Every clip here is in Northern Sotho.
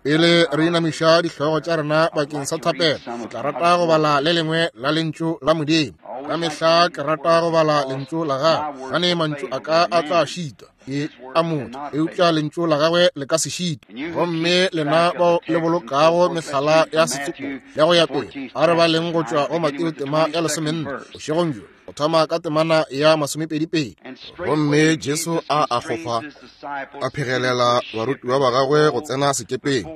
Pele re inamiša dihlogo tša rena bakeng sa thapelo, ke tla rata go bala le lengwe la Lentšu la Modimo. Ka mehla ke rata go bala Lentšu la Gagwe, gane mantšu a ka a tla šitwa ke a motho, eupša Lentšu la Gagwe le ka se šitwe. Gomme lena bao le bolokago mehlala ya setsopolo ya go ya pele, a re baleng go tšwa go Mateo tema ya lesomenne bošegong bjo, go thoma ka temana ya masomepedipedi. Gomme Jesu a akgofa a phegelela barutiwa ba gagwe go tsena sekepeng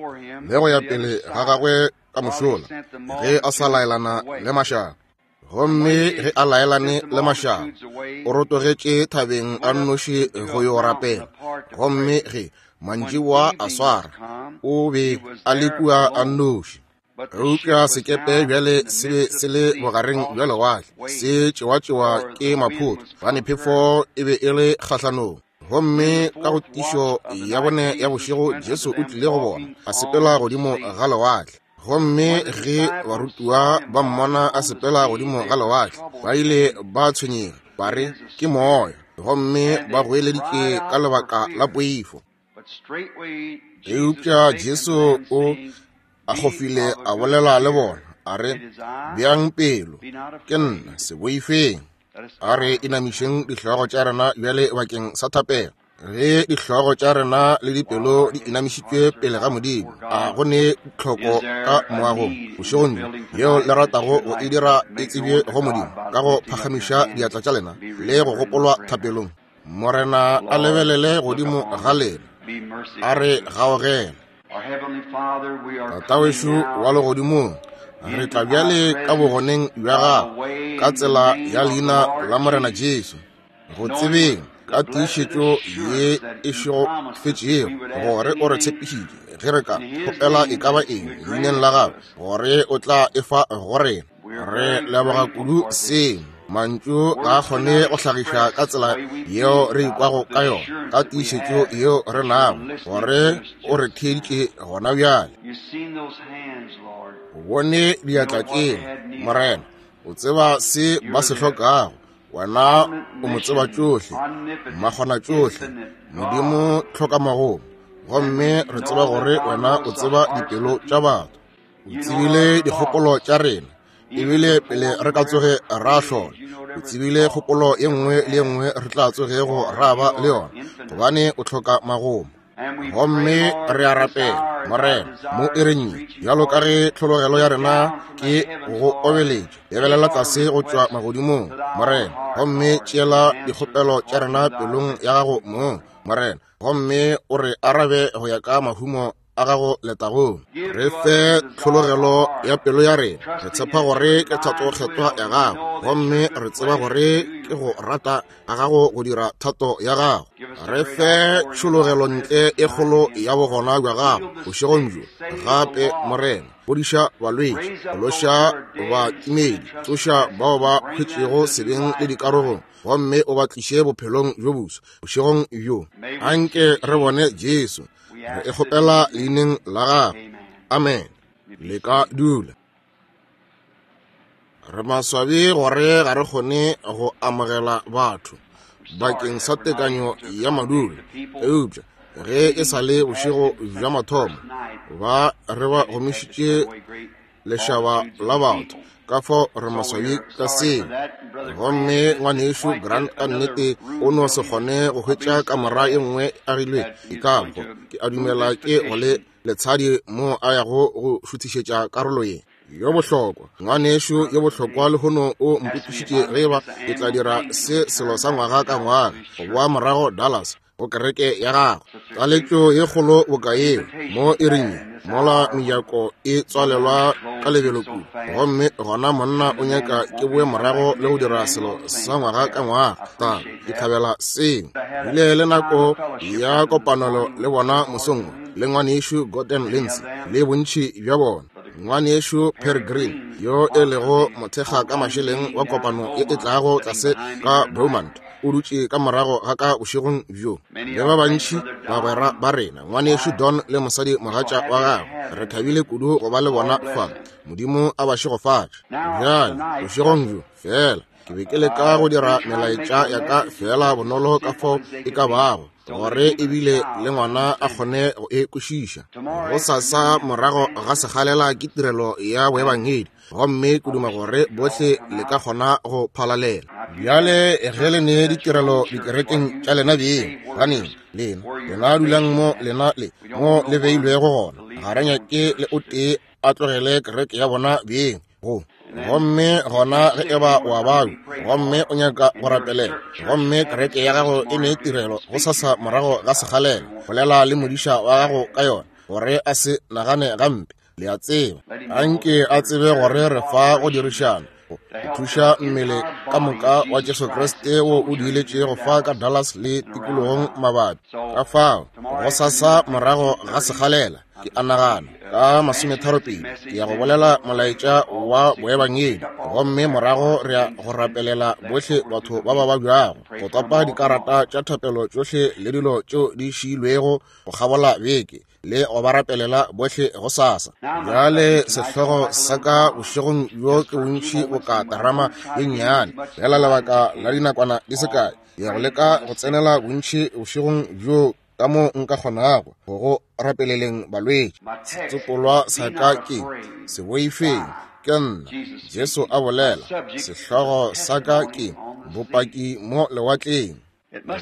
le go ya pele ga gagwe ka mošola, ge a sa laelana le mašaba. Gomme ge a laelane le mašaba, o rotogetše thabeng a nnoši go yo rapela. Gomme ge mantšiboa a swara, o be a le kua a nnoši. Eupša sekepe bjale se be se le bogareng bja lewatle, se tšewatšewa ke maphoto, gobane phefo e be e le kgahlanong. Gomme ka go tišo ya bone ya bošego Jesu o tlile go bona, a sepela godimo ga lewatle. Gomme ge barutiwa ba mmona a sepela godimo ga lewatle, ba ile ba tshwenyega, ba re, Ke moya. Gomme ba goeleditše ka lebaka la poifo. Eupša Jesu o akgofile a bolela le bona, a re, Beang pelo, ke nna, se boifeng. A re inamišeng dihlogo tša rena bjale bakeng sa thapelo. Ge dihlogo tša rena le dipelo di inamišitšwe pele ga Modimo, a go ne tlhoko ka moagong bošegong bjo yeo le ratago go e dira e tsebje go Modimo ka go phagamiša diatla tša lena le go gopolwa thapelong? Morena a lebelele godimo ga lena, a re gaogele. Tatawešu wa legodimong, re tla bjale ka bogoneng bja gago ka tsela ya leina la Morena Jesu, go tsebeng ka tiišetšo ye e šegofetšego gore o re tshepišitše ge re ka kgopela e ka ba eng leineng la gago gore o tla e fa go rena. Re leboga kudu seo. Mantšu ga a kgone go hlagiša ka tsela yeo re ikwago ka yona, ka tiišetšo yeo re nago gore o re theeditše gona bjale. O bone diatla tšela, Morena. O tseba se ba se hlokago. Wena o mo tseba tšohle, makgonatšohle, Modimo tlhokamagomo. Gomme re tseba gore wena o tseba dipelo tša batho. O tsebile dikgopolo tša rena ebile pele re ka tsoge ra hlola. O tsebile kgopolo ye nngwe le ye nngwe re tla tsogego ra ba le yona, gobane o hloka magomo. Gomme re a rapela, Morena, mo iring ye, bjalo ka ge tlhologelo ya rena ke go obeletša, lebelela tlase go tšwa magodimong, Morena, gomme tšeela dikgopelo tša rena pelong ya gago mong, Morena, gomme o re arabe go ya ka mahumo a gago letagong. Re fe tlhologelo ya pelo ya rena. Re tshepa gore ke thato kgethwa ya gago, gomme re tseba gore ke go rata ga gago go dira thato ya gago. Re fe tšhologelo ntle e kgolo ya bogona bja gago bošegong bjo gape, Morena. Fodiša balwetši, phološa batimedi, tsoša bao ba hwetšego sebeng le dikarogong, gomme o ba tliše bophelong bjo boswa bošegong bjo. Anke re bone Jesu. Re e kgopela leineng la gagwe. Amen. Le ka dula. Re maswabi gore ga re kgone go amogela batho bakeng sa tekanyo ya madulo, eupša ge e sa le bošego bja mathomo ba re ba gomišitše lešaba la batho, ka fao re maswabi ka seo. Gomme ngwanešu Grant ka nnete o no se kgone go hwetša kamora ye nngwe e agilwe e ka go, ke a dumela ke go le letshadi mo a yago go šuthišetša karolo ye. Yo bohlokwa, ngwanešu yo bohlokwa lehono o mpotšišitše ge eba ke tla dira se selo sa ngwaga ka ngwaga, go boa morago Dallas go kereke ya gagwe. Taletšo ye kgolo boka yeo mo iring ye, mola mejako e tswalelwa ka lebelo kudu, gomme gona monna o nyaka ke boe morago le go dira selo sa ngwaga ka ngwaga. Ta ke thabela seo. Bile le nako ya kopanelo le bona mosong wo, le ngwanešu Gordon Lindsay le bontši bja bona. Ngwanešu Pearry Green, yo e lego mothekga ka mašeleng wa kopano ye e tlago tlase ka Beaumont, o dutše ka morago ga ka bošegong bjo. Le ba bantši bagwera ba rena, ngwanešu Don le mosadi mogatša wa gagwe, re thabile kudu go ba le bona fa. Modimo a ba šegofatše. Bjale, bošegong bjo, feela ke be ke leka go dira melaetša ya ka feela bonolo ka fao e ka bago. gore ebile le ngwana a kgone go e kwešiša. Gosasa morago ga sekgalela ke tirelo ya boebangedi, gomme ke duma gore bohle le ka kgona go phalalela. Bjale ge le ne ditirelo dikerekeng tša lena beng, ganeng lena, lena dulang mo lena le mo le beilwego gona. Ga re nyake le o tee a tlogele kereke ya bona beng go. Gomme gona ge e ba wa babja gomme o nyaka go rapelela, gomme kereke ya gago e ne tirelo gosasa morago ga sekgalela, bolela le modiša wa gago ka yona, gore a se nagane gampe. Le a tseba, anke a tsebe gore re fa go dirišana, go thuša mmele ka moka wa Jesu Kriste wo o diiletšego fa ka Dallas le tikologong mabapi. Ka fao, gosasa morago ga sekgalela, ke a nagana ka 32 ke ya go bolela molaetša wa boebangedi, gomme morago re ya go rapelela bohle batho ba ba babjago, go topa dikarata tša thapelo tšohle le dilo tšeo di šiilwego go kgabola beke, le go ba rapelela bohle gosasa. Bjale sehlogo sa ka bošegong bjo ke bontši boka terama ye nnyane, fela lebaka la dinakwana di se kae. Ke ya go leka go tsenela bontši bošegong bjo ka mo nka kgonago go go rapeleleng balwetši. Setsopolwa sa ka ke Se boifeng, ke nna, Jesu a bolela. Sehlogo sa ka ke Bopaki mo lewatleng.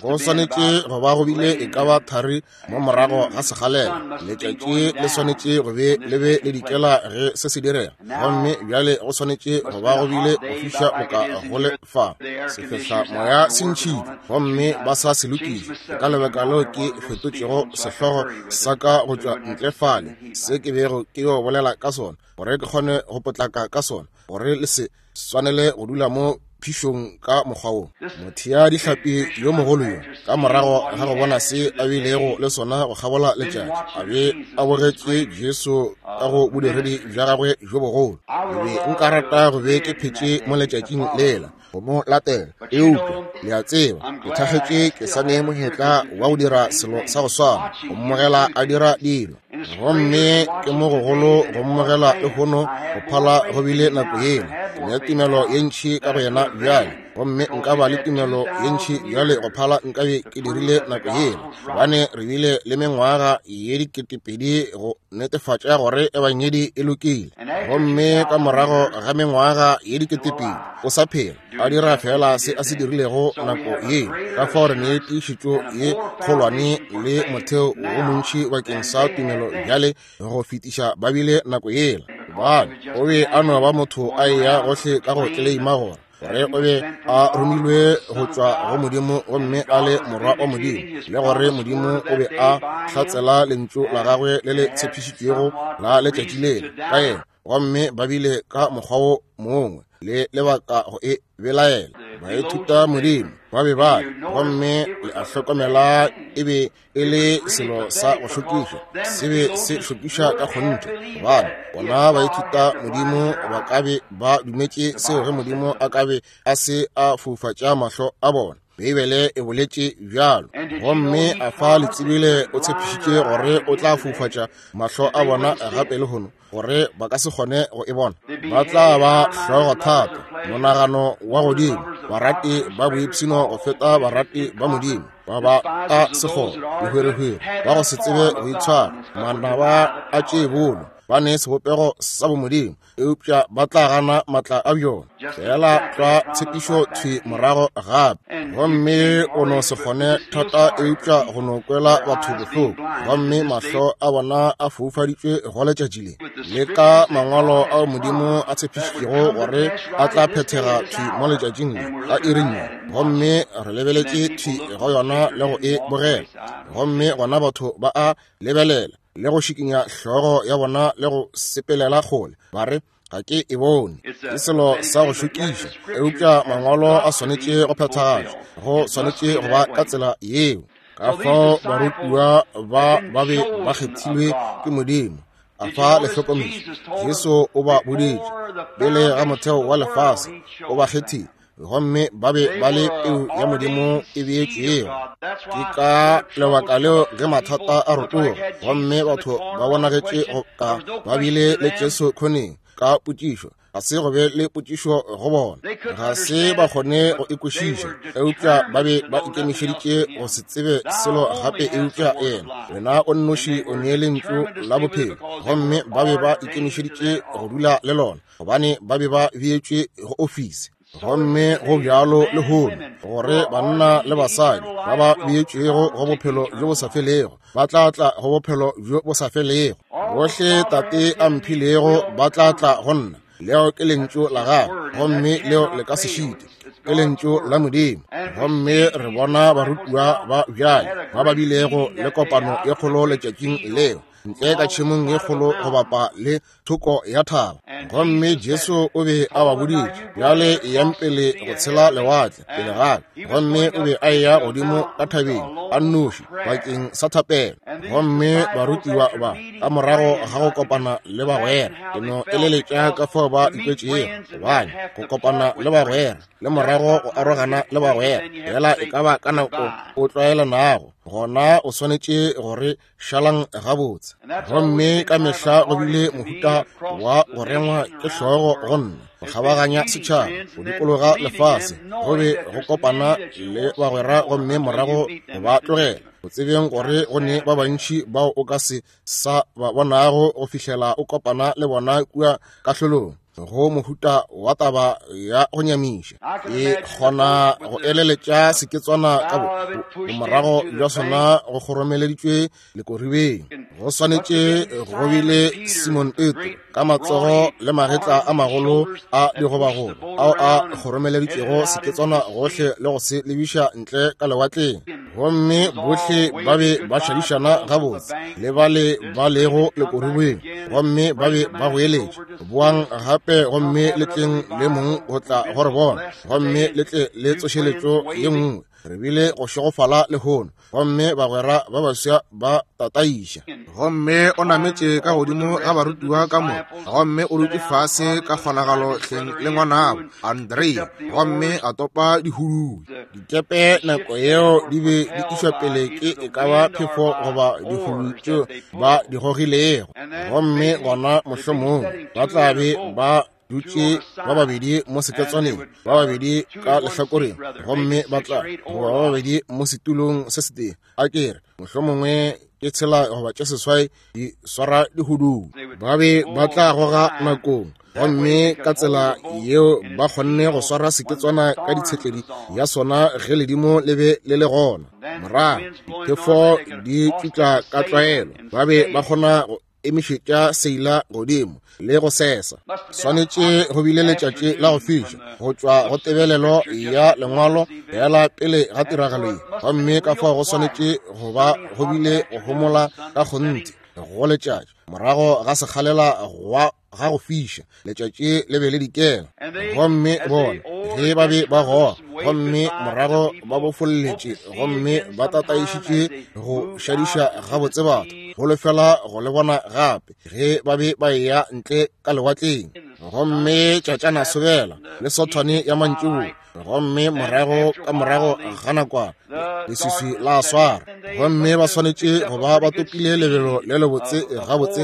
Go swanetše go ba go bile e ka ba thari mo morago ga sekgalela. Letšatši le swanetše go be le be le dikela ge se se direga, gomme bjale go swanetše go ba go bile go fiša boka go le fa. Sefehla moya se ntšhitšwe gomme ba sa se lokiša. Ke ka lebaka leo ke fetotšego sehlogo sa ka go tšwa ntle fale, se ke bego ke yo bolela ka sona, gore ke kgone go potlaka ka sona, gore le se swanele go dula mo phišong ka mokgwa wo. Mothea dihlapi yo mogolo yo, ka morago ga go bona se a bilego le sona go kgabola letšatši, a be a bogetše Jesu ka go bodiredi bja gagwe bjo bogolo. Ke be nka rata go be ke phetše mo letšatšing lela go mo latela, eupša le a tseba, ke thakgetše ke sa ne monyetla wa go dira selo sa go swana, go mmogela a dira dilo. Gomme ke mo gogolo go mmogela lehono go phala go bile nako yela. Ke ne tumelo ye ntši ka go yena bjale, gomme nka ba le tumelo ye ntši bjale go phala nka be ke dirile nako yela, gobane re bile le mengwaga ye 2000 go netefatša gore ebangedi e lokile. Gomme ka morago ga mengwaga ye 2000 o sa phela, a dira fela se a se dirilego nako ye. Ka fao re ne tiišetšo ye kgolwane le motheo wo montši bakeng sa tumelo bjale go fetiša ba bile nako yela, gobane o be a no ba motho a eya gohle ka go tleleima gore gore o be a romilwe go tšwa go Modimo gomme a le morwa wa Modimo, le gore Modimo o be a hlatsela lentšu la gagwe le le tshepišitšwego la letšatši lela ka yena, gomme ba bile ka mokgwa wo mongwe le lebaka go e belaela. Baithuta Modimo ba be ba, gomme le a hlokomela e be e le selo sa go šokiša, se be se šokiša ka kgonthe, gobane bona baithuta Modimo ba ka be ba dumetše seo ge Modimo a ka be a se a foufatša mahlo a bona. Beibele e boletše bjalo. Gomme a fa le tsebile o tshepišitše gore o tla foufatša mahlo a bona gape lehono, gore ba ka se kgone go e bona. Ba tla ba hlogo thata, monagano wa godimo, barati ba boipshino go feta barati ba Modimo, ba ba ka sekgoba, dihwerehwere, ba go se tsebe go itshwara, manaba a tše bolo, ba ne sebopego sa bomodimo, eupša ba tla gana matla a bjona. Fela tlwa tshepišo thwi morago gape, gomme o no se kgone thata eupša go no kwela batho bohloko, gomme mahlo a bona a foufaditšwe go letšatši le, le ka mangwalo ao Modimo a tshepišitšego gore a tla phethega thwi mo letšatšing le ka iring ye, gomme re lebeletše thwi go yona le go e bogela, gomme gona batho ba a lebelela le go šikinya hlogo ya bona le go sepelela kgole, ba re, ga ke e bone. Ke selo sa go šokiša, eupša mangwalo a swanetše go phethagatšwa, go swanetše go ba ka tsela yeo. Ka fao barutiwa ba ba be ba kgethilwe ke Modimo. A fa le hlokometše, Jesu o ba boditše pele ga motheo wa lefase, o ba kgethile, gomme ba be ba le peu ya Modimo e beetšwego. Ke ka lebaka leo ge mathata a rotoga gomme batho ba bonagetše go ka ba bile le Jesu khoneng ka potšišo. Ga se go be le potšišo go bona. Ga se ba kgone go e kwešiša, eupša ba be ba ikemišeditše go se tsebe selo gape eupša yena. Wena o nnoši o nee Lentšu la bophelo, gomme ba be ba ikemišeditše go dula le lona, gobane ba be ba beetšwe go ofisi. Gomme go bjalo lehono, gore banna le basadi ba ba beetšwego go bophelo bjo bo sa felego ba tla tla go bophelo bjo bo sa felego. Bohle Tate a mphilego ba tla tla go nna. Leo ke lentšu la gagwe, gomme leo le ka se šite. Ke lentšu la Modimo. Gomme re bona barutiwa ba bjale ba ba bilego le kopano e kgolo letšatšing leo, ntle ka tšhemong ye kgolo go bapa le thoko ya thaba. Gomme Jesu o be a ba boditše, bjale eyang pele go tshela lewatle pele ga ka. Gomme o be a eya godimo ka thabeng a nnoši bakeng sa thapelo. Gomme barutiwa ba, ka morago ga go kopana le bagwera, ke no eleletša ka fao ba ikwetšego, gobane go kopana le bagwera le morago go arogana le bagwera, fela e ka ba ka nako o tlwaelanago, gona o swanetše gore šalang gabotse. Gomme ka mehla go bile mohuta wa go rengwa ke hlogo go nna, go kgabaganya setšhaba, go dikologa lefase, go be go kopana le bagwera gomme morago go ba tlogela, go tsebeng gore go ne ba bantši bao o ka se sa ba bonago go fihlela o kopana le bona kua kahlolong. Go mohuta wa taba ya go nyamiša. Ke kgona go eleletša seketswana ka bomorago bja sona go kgoromeleditšwe lekoribeng. Go swanetše go bile Simon Petro ka matsogo le magetla a magolo a digobagoba ao a kgoromeleditšego seketswana gohle le go se lebiša ntle ka lewatleng. Gomme bohle ba be ba šadišana gabotse le bale ba lego lekoribeng, gomme ba be ba goeletša, Boang gape gomme le tleng le mong go tla go re bona, gomme le tle le tsošeletšo ye nngwe. Re bile go šegofala lehono, gomme bagwera ba baswa ba tataiša. Gomme o nametše ka godimo ga barutiwa ka moka, gomme o dutše fase ka kgonagalo hleng le ngwanabo Andrea, gomme a topa dihudui. Dikepe nako yeo di be di išwa pele ke e ka ba phefo goba dihudui tšeo ba di gogilego, gomme gona mohlomong ba tla be ba dutše ba babedi mo seketswaneng, ba babedi ka lehlakoreng, gomme ba tla goba ba babedi mo setulong se setee. A ke re mohlomongwe ke tshela goba tše seswai di swara dihudung. Ba be ba tla goga nakong, gomme ka tsela yeo ba kgonne go swara seketswana ka ditshetledi ya sona ge ledimo le be le le gona. Morago diphefo di tšutla ka tlwaelo, ba be ba kgona go emišetša seila godimo le go sesa. Swanetše go bile letšatši la go fiša go tšwa go tebelelo ya lengwalo fela pele ga tiragalo ye, gomme ka fao go swanetše go ba go bile go homola ka kgonthe go letšatši morago ga sekgalela ga go fiša. Letšatši le be le dikela, gomme bona ge ba be ba goga, gomme morago ba bofolletše gomme ba tataišitše go šadiša gabotse batho, holofela go le bona gape ge ba be ba eya ntle ka lewatleng. Gomme tšatšana sobela le sothwane ya mantšiboa, gomme morago ka morago ga nakwana leswiswi la swara, gomme ba swanetše go ba ba topile lebelo le lebotse gabotse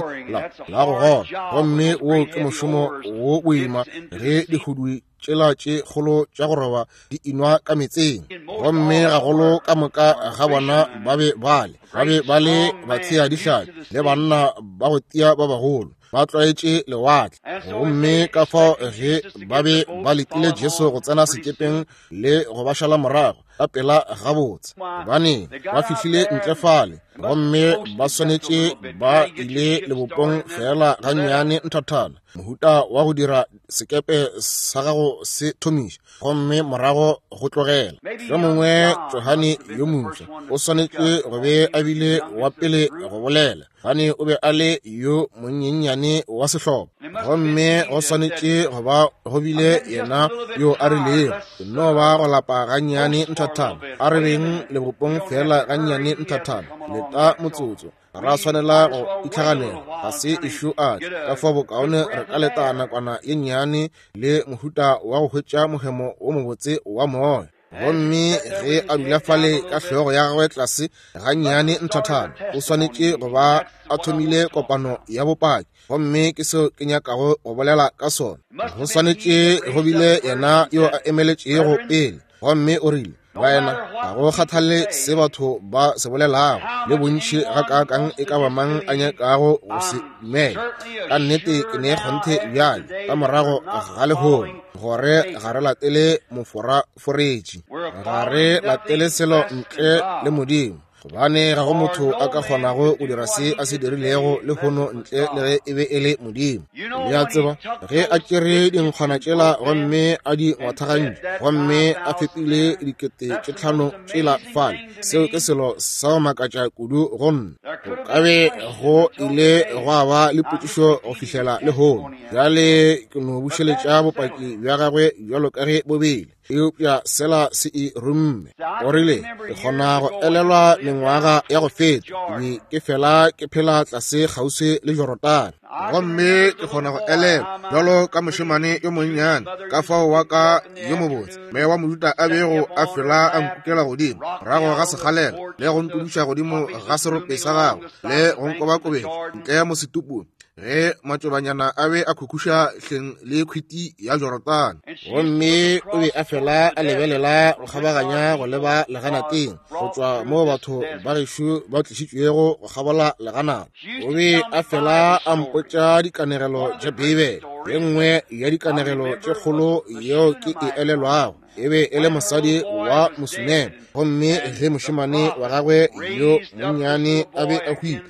la go gola. Gomme wo ke mošomo wo boima ge dihudui tšela tše kgolo tša go roba di inwa ka metseng. Gomme gagolo ka moka ga bona ba be ba le ba be ba le bathea dihlapi le banna ba go tia ba bagolo, ba tlwaetše lewatle. Gomme ka fao ge ba be ba letile Jesu go tsena sekepeng le go ba šala morago ka pela gabotse, gobane ba fihlile ntle fale, gomme ba swanetše ba ile lebopong feela gannyane nthathana, mohuta wa go dira sekepe sa gago se thomiša, gomme morago go tlogela. Mohlomongwe Johane yo mofsa o swanetše go be a bile wa pele go bolela, gane o be a le yo monyenyane wa sehlopa, gomme go swanetše go ba go bile yena yo a rilego, ke no ba go lapa gannyane nthathana, a re beng lebopong feela gannyane nthathana, leta motsotso, ga ra swanela go itlhaganela, ga se ešo a tla, ka fao bokaone re ka leta nakwana ye nnyane le mohuta wa go hwetša mohemo wo mobotse wa moya. Gomme ge a dula fale ka hlogo ya gagwe tlase gannyane nthathana, o swanetše go ba a thomile kopano ya bopaki. Gomme ke seo ke nyakago go bolela ka sona. Go swanetše go bile yena yo a emeletšego pele, gomme o rile, baena, ga go kgathale se batho ba se bolelago, le bontši gakaakang e ka ba mang a nyakago go se dumela, ka nnete ke ne kgonthe bjale ka morago ga lehono gore ga re latele moforaforetši, ga re latele selo ntle le Modimo, gobane ga go motho a ka kgonago go dira se a se dirilego lehono ntle le ge e be e le Modimo. Le a tseba, ge a tšere dinkgwana tšela gomme a di ngwathagantše gomme a fepile 5000 tšela fale, seo ke selo sa go makatša kudu go nna. Go ka be go ile gwa ba le potšišo go fihlela lehono. Bjale ke no bušeletša bopaki bja gagwe bjalo ka ge bo bile, eupša sela se e rumme. O rile, ke kgona go elelwa mengwaga ya go feta, ke be ke fela ke phela tlase kgauswi le Jorodane. Gomme ke kgona go elelwa bjalo ka mošemane yo monnyane, ka fao wa ka yo mobotse mme wa Mojuda a bego a fela a nkukela godimo morago ga sekgalela le go ntudiša godimo ga serope sa gagwe le go nkobakobetša ntle mo setupung ge matšobanyana a be a khukhuša hleng le khwiti ya Jorodane. Gomme o be a fela a lebelela go kgabaganya go leba leganateng go tšwa mo batho ba gešo ba tlišitšwego go kgabola leganata. O be a fela a mpotša dikanegelo tša Beibele. Ye nngwe ya dikanegelo tše kgolo yeo ke e elelwago e be e le mosadi wa Mosuneme, gomme ge mošemane wa gagwe yo monnyane a be a hwile,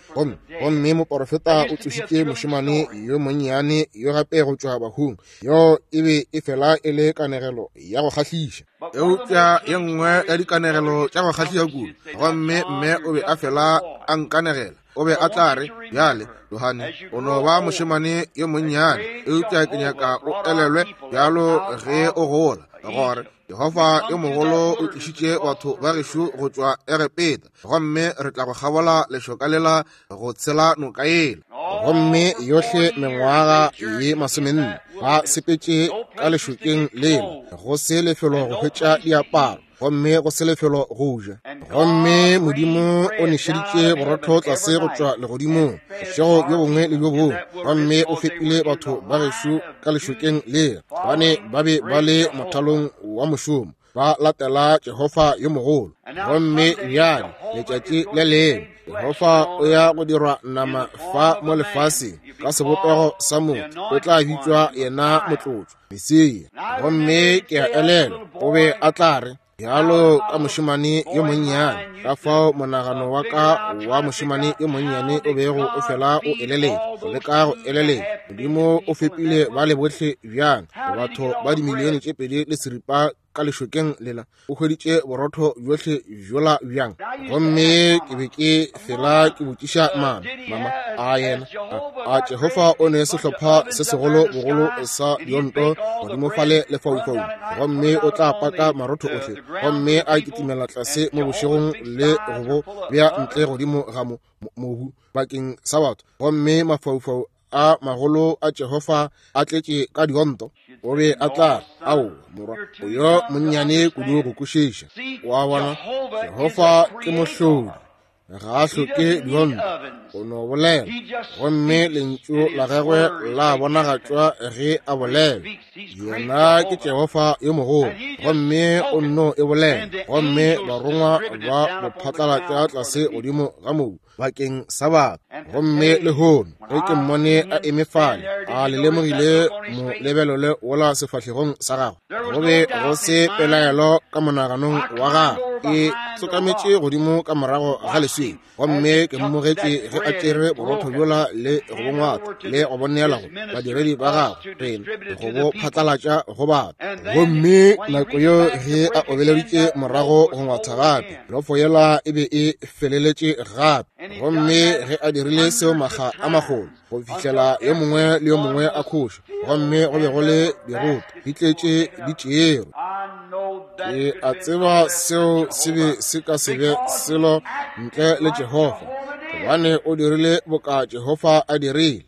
gomme moporofeta o tsošitše mošemane yo monnyane yo gape go tšwa bahung. Yo e be e fela e le kanegelo ya go kgahliša, eupša ye nngwe ya dikanegelo tša go kgahliša kudu. Gomme mme o be a fela a nkanegela. O be a tla re, bjale Johane, o no ba mošemane yo monnyane, eupša ke nyaka o elelwe bjalo ge o gola gore Jehofa yo mogolo o tlišitše batho ba gešo go tšwa Egepeta, gomme re tla go kgabola lešoka lela go tshela noka yela. Gomme yohle mengwaga ye 40 ba sepetše ka lešokeng lela, go se lefelo go hwetša diaparo, gomme go se lefelo go ja. Gomme Modimo o nešeditše borotho tlase go tšwa legodimong bošego bjo bongwe le bjo bongwe, gomme o fepile batho ba gešo ka lešokeng lela, gobane ba be ba le mothalong wa mošomo, ba latela Jehofa yo mogolo. Gomme bjale letšatši le lengwe Jehofa o ya go dirwa nama fa mo lefaseng ka sebopego sa motho, o tla bitšwa yena motlotšwa, Mesia. Gomme ke a elelwa o be a tla re, bjalo ka mošemane yo monnyane, ka fao monagano wa ka wa mošemane yo monnyane o bego o fela o eleletša, go leka go eleletša, Modimo o fepile bale bohle bjang, batho ba dimilione tše 2.5 ka lešokeng lela, o hweditše borotho bjohle bjola bjang? Gomme ke be ke fela ke botšiša mama, mama, a yena a Jehofa o ne sehlopha se segolo bogolo sa dionto godimo fale lefaufaung, gomme o tla paka marotho ohle, gomme a kitimela tlase mo bošegong le go bo bea ntle godimo ga mobu bakeng sa batho, gomme mafaufau a magolo a Jehofa a tletše ka dionto. O be a tla, ao morwa, o yo monnyane kudu go kwešiša. Wa bona, Jehofa ke mohlodi, ga a hloke dionto, o no bolela, gomme lentšu la gagwe la bonagatšwa ge a bolela. Yena ke Jehofa yo mogolo, gomme o nno e bolela, gomme barongwa ba mo phatlalatša tlase godimo ga mobu bakeng sa batho. Gomme lehono ge ke mmone a eme fale, a le lemogile mo lebelele wola sefahlegong sa gagwe, go be go se pelaelo ka monaganong wa gagwe. E tsokametše godimo ka morago ga leswele, gomme ke mmogetše ge a tšere borotho bjola le go bo ngwata le go bo neela go badiredi ba gagwe rena go bo phatlalatša go batho. Gomme nako yeo ge a obeleditše morago go ngwatha gape, lofo yela e be e feleletše gape. Gomme ge a dirile seo makga a magolo go fihlela yo mongwe le yo mongwe a khoša, gomme go be go le diroto di tletše di tšerwe. Ke a tseba seo se be se ka se be selo ntle le Jehofa, gobane o dirile boka Jehofa a dirile.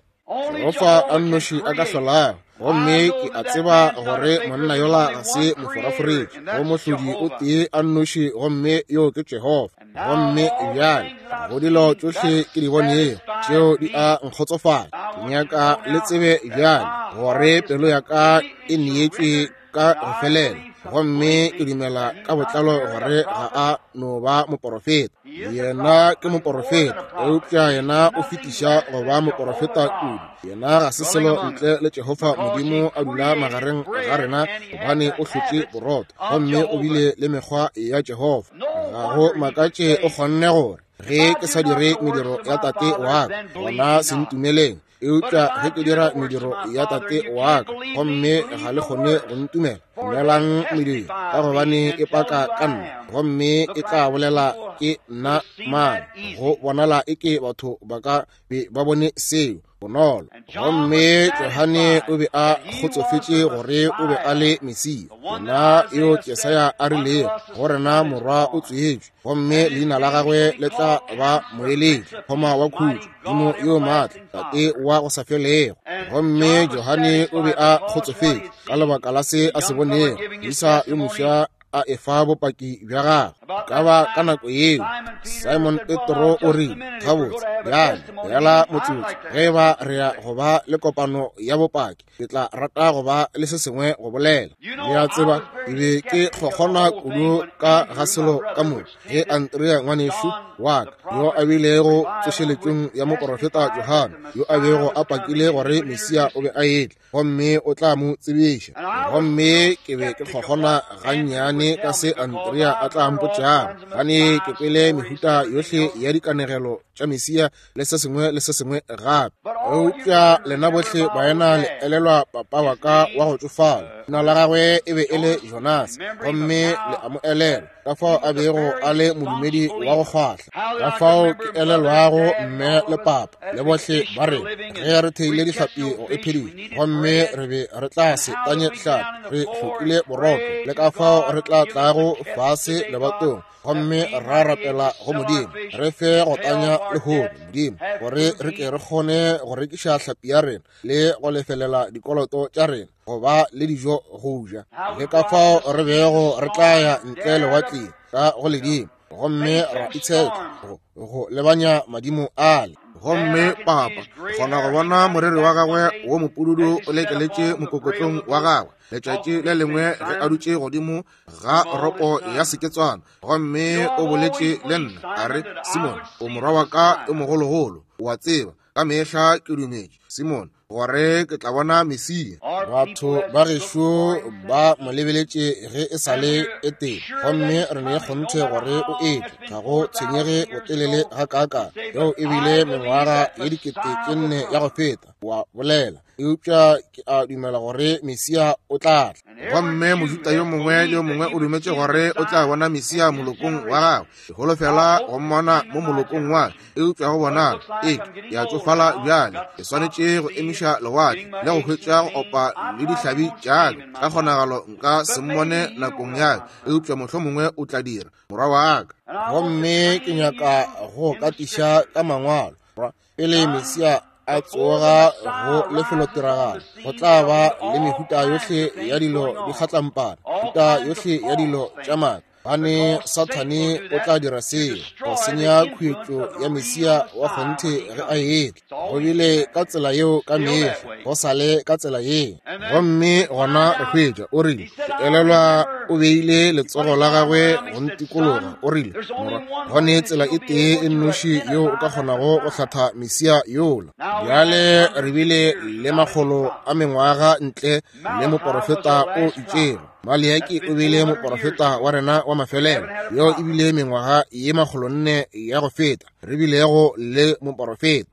Jehofa a nnoši a ka hlolago. Gomme ke a tseba gore monna yola ga se moforaforetši, go mohlodi o tee a nnoši, gomme yo ke Jehofa. Gomme bjale go dilo tšohle ke di bonego tšeo di a nkgotsofala. Ke nyaka le tsebe bjale gore pelo ya ka e neetšwe ka go felela, gomme ke dumela ka botlalo gore ga a no ba moporofeta. Yena ke moporofeta, eupša yena o fetiša go ba moporofeta kudu. Yena ga se selo ntle le Jehofa Modimo a dula magareng ga rena, gobane o hlotše borotho gomme o bile le mekgwa ya Jehofa. Ga go makatše o kgonne gore, ge ke sa dire mediro ya Tate wa ka, gona se ntumeleng. Eupša ge ke dira mediro ya Tate wa ka, gomme ga le kgone go ntumela, dumelang mediro, ka gobane e paka ka nna, gomme e tla bolela ke nna mang. Go bonala eke batho ba ka be ba bone seo bonolo. Gomme Johane o be a kgotsofetše gore o be a le Mesia, yena yo Jesaya a rilego go rena morwa o tswetšwe, gomme leina la gagwe le tla ba Moeletši, Thoma wa khutšo, Modimo yo maatla, Tate wa go sa felego. Gomme Johane o be a kgotsofetše ka lebaka la se a se bonego, Moisa yo mofsa a efa bopaki bja gagwe. Ka ba ka nako yeo Simon Petro o rile, gabotse bjale bjala motsotso, ge ba re ya go ba le kopano ya bopaki, ke tla rata go ba le se sengwe go bolela. Le a tseba, ke be ke kgokgona kudu ka ga selo ka moka ge Andrea ngwanešu wa ka, yo a bilego tsošeletšong ya moporofeta Johane, yo a bego a pakile gore Mesia o be a etla gomme o tla mo tsebiša. Gomme ke be ke kgokgona gannyane ka se Andrea a tla mpotšago, gane ke kwele mehuta yohle ya dikanegelo tša Mesia le se sengwe le se sengwe gape. Eupša lena bohle baena le elelwa papa wa ka wa go tšofala, leina la gagwe e be e le Jonas, gomme le a mo elelwa ka fao a bego a le modumedi wa go kgwahla, ka fao ke elelwago mme le papa le bohle ba re ge re theile dihlapi go e phediša, gomme re be re tla se tanye hlapi, re hlokile borotho, le ka fao re tla tlago fase lebatong gomme ra rapela go Modimo, re fe go tanya lehono, Modimo, gore re ke re kgone go rekiša hlapi ya rena le go lefelela dikoloto tša rena, go ba le dijo go ja. Le ka fao re bego re tla ya ntle lewatleng ka go ledimo, gomme ra itshetla go lebanya madimo ale. Gomme papa kgona go bona moriri wa gagwe wo mopududu o lekeletše mokokotlong wa gagwe letšatši le lengwe ge a dutše godimo ga ropo ya seketswana, gomme o boletše le nna a re, Simon, o morwa wa ka yo mogologolo, o a tseba ka mehla ke dumetše, Simon, gore ke tla bona Mesia. Batho ba gešo ba mo lebeletše ge e sa le e tee, gomme re ne kgonthe gore o etla. Ga go tshwenyege botelele gakaakang, yeo e bile mengwaga ye 4000 ya go feta, wa bolela, eupša ke a dumela gore Mesia o tla tla. Gomme Mojuda yo mongwe le yo mongwe o dumetše gore o tla bona Mesia molokong wa gagwe. Ke holofela go mmona mo molokong wa ka, eupša go bonala eke ke a tšofala bjale. Ke swanetše go emiša lewatle le go hwetša go opa le dihlabi tša ka. Ka kgonagalo nka se mmone nakong ya ka, eupša mohlomongwe o tla dira, morwa wa ka. Gomme ke nyaka go katiša ka mangwalo pele Mesia a tsoga go lefelotiragalo. Go tla ba le mehuta yohle ya dilo di kgatlampana, mehuta yohle ya dilo tša maaka, gane Sathane o tla dira seo go senya khuetšo ya Mesia wa kgonthe ge a etla. Go bile ka tsela yeo ka mehla, go sa le ka tsela yeo. Gomme gona re hwetša o rile, ke elelwa o beile letsogo la gagwe go ntikologa, o rile, morwa, go ne tsela e tee e nnoši yeo o ka kgonago go hlatha Mesia yola. Bjale re bile le makgolo a mengwaga ntle le moporofeta o itšego. Maleaki o bile moporofeta wa rena wa mafelelo, yo e bile mengwaga ye 400 ya go feta re bilego le moporofeta.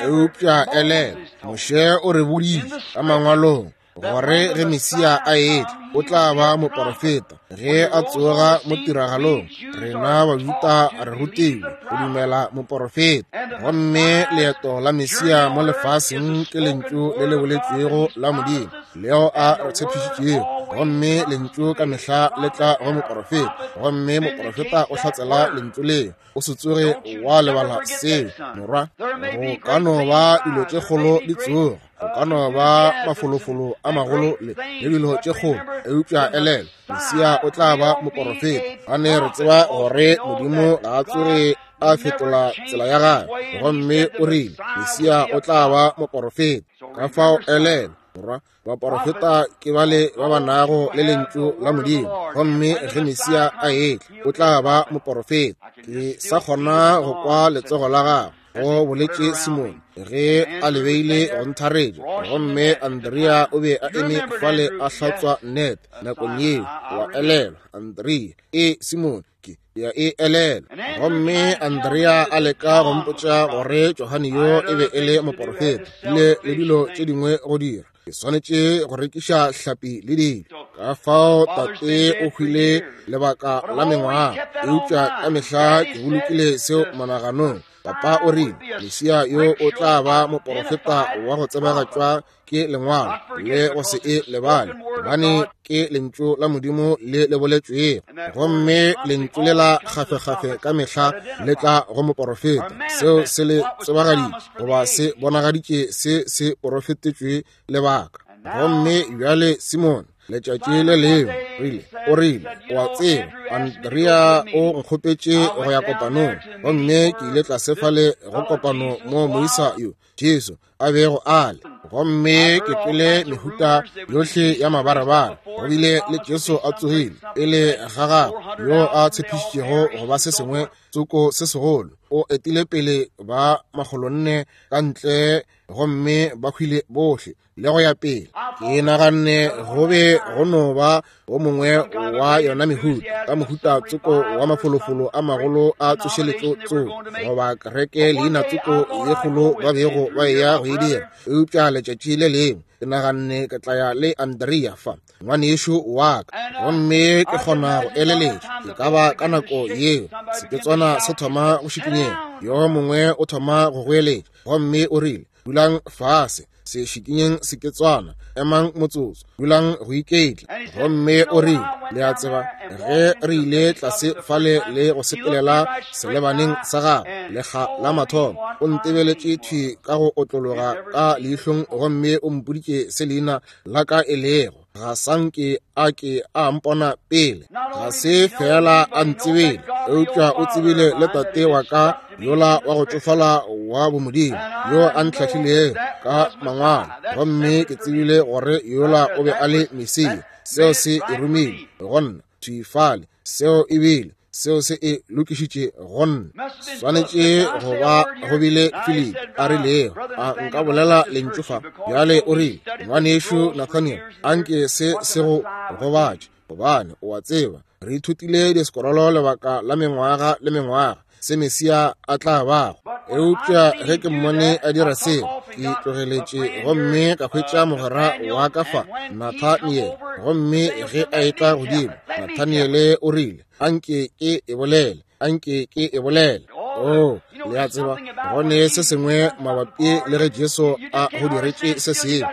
Eupša elelwa, Moshe o re boditše ka mangwalong gore ge Mesia a etla o tla ba moporofeta. Ge a tsoga mo tiragalong, rena Bajuda re rutilwe go dumela moporofeta. Gomme leeto la Mesia mo lefaseng ke lentšu le le boletšwego la Modimo leo a re tshepišitšego. Gomme Lentšu ka mehla le tla go moporofeta, gomme moporofeta o hlatsela Lentšu leo. O se tsoge wa lebala seo, morwa. Go ka no ba dilo tše kgolo di tsoga, go ka no ba mafolofolo a magolo le dilo tše kgolo, eupša elelwa, Mesia o tla ba moporofeta. Gane re tseba gore Modimo ga a tsoge a fetola tsela ya gagwe, gomme o rile Mesia o tla ba moporofeta. Ka fao elelwa, morwa, baporofeta ke bale ba ba nago le lentšu la Modimo, gomme ge Mesia a etla o tla ba moporofeta. Ke sa kgona go kwa letsogo la gagwe, go boletše Simone ge a le beile go ntharetša, gomme Andrea o be a eme fale a hlatswa net nakong yeo. Wa elelwa, Andrea? E, Simone, ke ya e elelwa. Gomme Andrea a leka go mpotša gore Johane yo e be e le moporofeta, le le dilo tše dingwe go dira. Ke swanetše go rekiša hlapi le dilo. Ka fao tate o hwile lebaka la mengwaga, eupša ka mehla ke bolokile seo monaganong. Papa o rile Mesia yo o tla ba moporofeta wa go tsebagatšwa ke lengwalo le go se e lebale, gobane ke lentšu la Modimo le le boletšwego, gomme lentšu le la kgafekgafe ka mehla le tla go moporofeta. Seo se le tsebagaditše goba se bonagaditše se se porofetetšwe lebaka. Gomme bjale Simone, letšatši le lengwe rile, o rile, o a tseba, Andrea o nkgopetše go ya kopanong, gomme ke ile tlase fale go kopano mo moisa yo Jesu a bego a le, gomme ke kwele mehuta yohle ya mabarebare. Go bile le Jesu a tsogile pele ga gagwe, yo a tshepišitšego go ba se sengwe tsoko se segolo. O etile pele ba 400 ka ntle, gomme ba hwile bohle le go ya pele. Ke naganne go be go no ba o mongwe wa yona mehuta ka mohuta tsoko wa mafolofolo a magolo a tsošeletšo tsoko goba kereke leina tsoko ye kgolo ba bego ba eya go e dira. Eupša letšatši le lengwe ke naganne ke tla ya le Andrea fa, ngwanešu wa ka, gomme ke kgona go eleletša e ka ba ka nako yeo seketswana se thoma go šikinyega, yo mongwe o thoma go goeletša, gomme o rile, Dulang fase, se šikinyeng seketswana, emang motsotso, dulang go iketla. Gomme o rile, le a tseba, ge re ile tlase fale le go sepelela selebaneng sa gagwe lekga la mathomo, o ntebeletše thwi ka go otlologa ka leihlong gomme o mpoditše se leina la ka e lego. Ga sa nke a ke a mpona pele, ga se fela a ntsebile, eupša o tsebile le tate wa ka yola wa go tšofala wa bomodimo yo a ntlhahlilego ka mangwalo, gomme ke tsebile gore yola o be a le Mesia. Seo se e romile go nna thwi fale. Seo e bile seo se e lokišitše go nna. Swanetše go ba go bile Philip a rilego, a nka bolela lentšu fa bjale? O rile, ngwanešu Nathaniel, a nke se se go gobatše, gobane o a tseba re ithutile disekorolo lebaka la mengwaga le mengwaga se Mesia a tla bago. Eupša ge ke mmone a dira seo, ke tlogeletše gomme ka hwetša mogwera wa ka fa, Nathaniel. Gomme ge a etla godimo, Nathaniele o rile, a nke ke e bolele, a nke ke e bolele. Oh, le a tseba, go ne se sengwe mabapi le ge Jesu a go diretše se sengwe,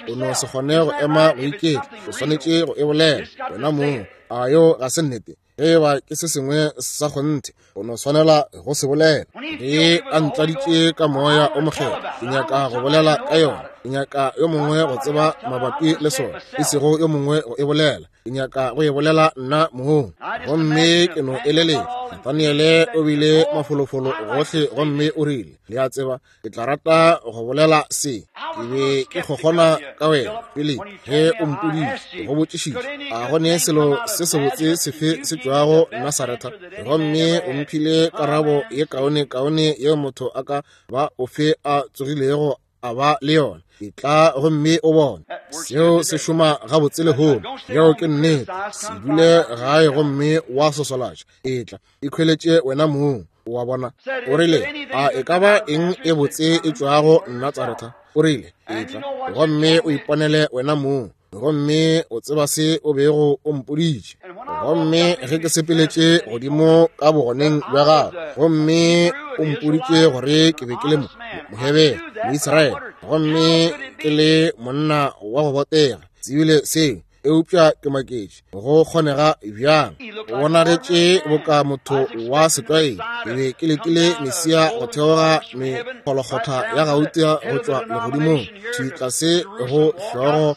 o no se kgone go ema go iketla, o swanetše go e bolela wena mong. A yo ga se nnete? Ge eba ke se sengwe sa kgonthe, o no swanela go se bolela. Ge a ntladitše ka Moya o Mokgethwa, ke nyaka go bolela ka yona. Ke nyaka yo mongwe go tseba mabapi le sona, e sego yo mongwe go e bolela. Ke nyaka go e bolela nna mong. Gomme ke no eleletša, Nathaniele o bile mafolofolo gohle gomme o rile, le a tseba, ke tla rata go bolela se. Ke be ke kgokgona ka wena, Philip, ge o mpoditše, go botšišitše, a go ne selo se sebotse sefe se tšwago Nasaretha? Gomme o mphile karabo ye kaone-kaone yeo motho a ka ba ofe a tsogilego a ba le yona. Etla gomme o bone. Seo se šoma gabotse lehono. Yeo ke nnete. Se dule gae gomme wa sosolatša. Etla, ikhweletše wena mong. O a bona? O rile, a e ka ba eng e botse e tšwago Natsaretha? O rile, etla gomme o iponele wena mong, gomme o tseba se o bego o mpoditše. Gomme ge ke sepeletše godimo ka bogoneng bja gago, gomme o mpoditše gore ke be ke le Mohebere, Moisraele, gomme ke le monna wa go botega, tsebile seo. Eupša ke maketše, go kgonega bjang? O bonagetše boka motho wa setlwaedi. Ke be ke letile Mesia go theoga mekgolokgotha ya gauta go tšwa legodimong, thwi tlase go hlogo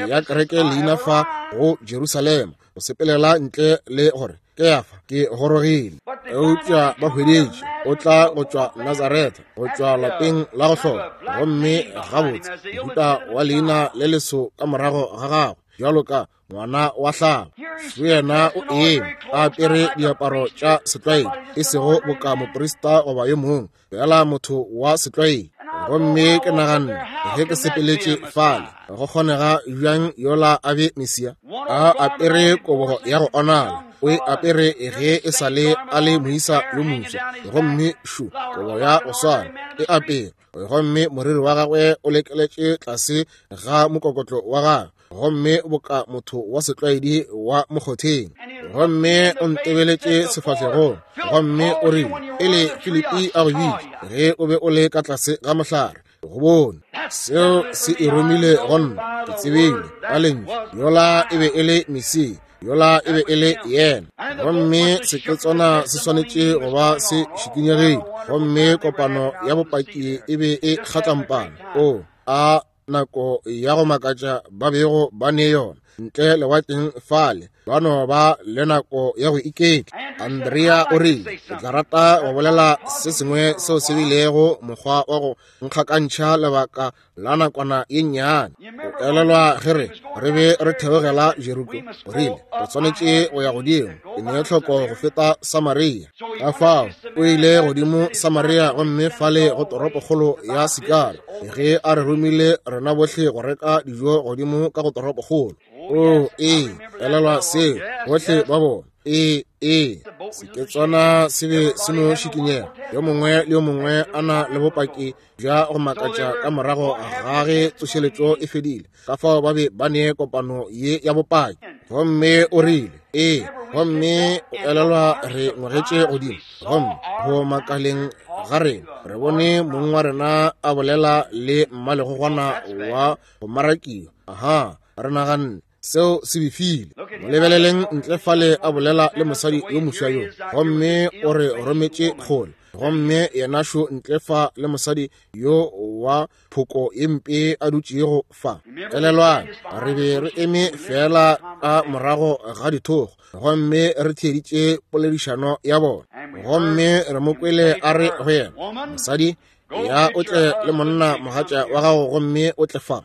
ya kereke leina fa go Jerusalema, go sepelela ntle le gore Kefa ke gorogile. Eupša ba hweditše o tla go tšwa Nazaretha, go tšwa lapeng la go hloka, gomme gabotse mohuta wa leina le leso ka morago ga gagwe, bjalo ka ngwana wa hlago. Šo yena o eme a apere diaparo tša setlwaedi, e sego boka moprista goba yo mongwe, fela motho wa setlwaedi. Gomme ke naganne ge ke sepeletše fale, go kgonega bjang yola a be Mesia? A apere kobo ya go onala, o e apere ge e sa le a le moisa yo mofsa, gomme šo kobo ya go swana e apere, gomme moriri wa gagwe o lekeletše tlase ga mokokotlo wa gagwe, gomme boka motho wa setlwaedi wa mokgotheng. Gomme o ntebeletše sefahlegong, gomme o rile, Pele Filipi a go bitša, ge o be o le ka tlase ga mohlare, go bone. Seo se e romile go nna. Ke tsebile ka lentšu, yola e be e le Mesia, yola e be e le yena. Gomme seketswana se swanetše go ba se šikinyegile, gomme kopano ya bopaki e be e kgatlampana. O a nako ya go makatša ba bego ba ne yona ntle lewatleng fale, ba no ba le nako ya go iketla. Andrea o rile, ke tla rata go bolela se sengwe seo se bilego mokgwa wa go nkgakantšha lebaka la nakwana ye nnyane. O elelwa ge re be re theogela Jeriko, o rile re swanetše go ya godimo, ke ne tlhoko go feta Samaria. Ka fao o ile godimo Samaria, gomme fale go toropokgolo ya Sikara, ge a re romile rena bohle go reka dijo godimo ka go toropokgolo. O ee, elelwa seo, bohle ba bona. Ee, ee, seketswana se be se no šikinyega, yo mongwe le yo mongwe a na le bopaki bja go makatša ka morago ga ge tsošeletšo e fedile. Ka fao ba be ba ne kopano ye ya bopaki. Gomme o rile, ee, gomme o elelwa re ngwegetše godimo, gomme go makaleng ga rena re bone mong wa rena a bolela le mmalegogwana wa go marakiwa. Aha, re naganne seo se befile. Mo lebeleleng ntle fale a bolela le mosadi yo moswa yo, gomme o re rometše kgole, gomme yena šo ntle fa le mosadi yo wa phoko ye mpe a dutšego fa. Elelwang, re be re eme fela ka morago ga dithogo, gomme re theeditše poledišano ya bona, gomme re mo kwele a re go yena, mosadi, ya o tle le monna mogatša wa gago, gomme o tle fa.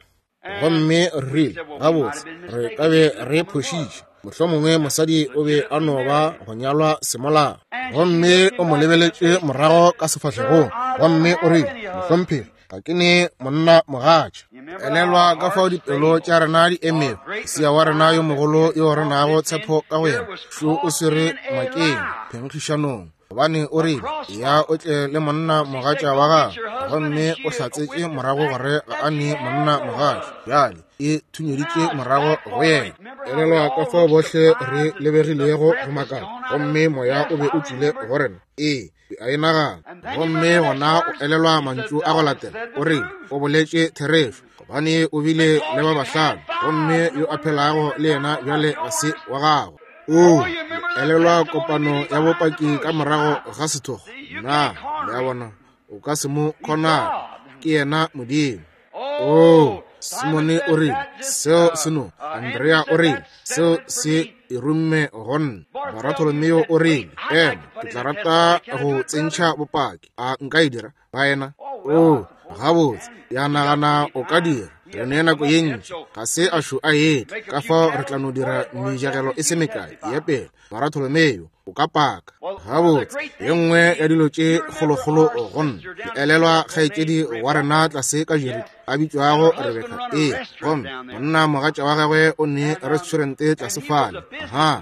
Gomme re rile, gabotse, re ka be re phošitše, mohlomongwe mosadi o be a no ba go nyalwa semolao. Gomme o mo lebeletše morago ka sefahlegong, gomme o rile, mohlomphegi, ga ke ne monna mogatša. Elelwa ka fao dipelo tša rena di emego, Mesia wa rena yo mogolo yo re nago tshepo ka go yena, šo o swere ngwakeng phenkgišanong, gobane o rile, ya o tle le monna mogatša wa gagwe, gomme o hlatsetše morago gore ga a ne monna mogatša. Bjale e thunyeditše morago go yena. Elelwa ka fao bohle re lebegilego go makala, gomme moya o be o tšwile go rena. Ee, a e nagana. Gomme gona o elelwa mantšu a go latela, o rile, o boletše therešo, gobane o bile le ba bahlano, gomme yo a phelago le yena bjale ga se wa gagwe. O elelwa kopano ya bopaki ka morago ga sethogo? Na le a bona, o ka se mo kgonang, ke yena Modimo. O Simone o rile, seo se no. Andrea o rile, seo se e romme go nna. Bartolomeo o rile, ema, ke tla rata go tsentšha bopaki. A nka e dira, baena? O, gabotse, ya nagana o ka dira. Re ne nako ye ntši, ga se a šo a etla, ka fao re tla no dira mejagelo e se mekae ya pele. Bartolomeo, o ka paka. Gabotse, ye nngwe ya dilo tše kgolokgolo go nna, ke elelwa kgaetšedi wa rena tlase ka Jeriko a bitšwago Rebeka. Ee, gomme monna mogatša wa gagwe o ne restaurant tlase fale. Aha,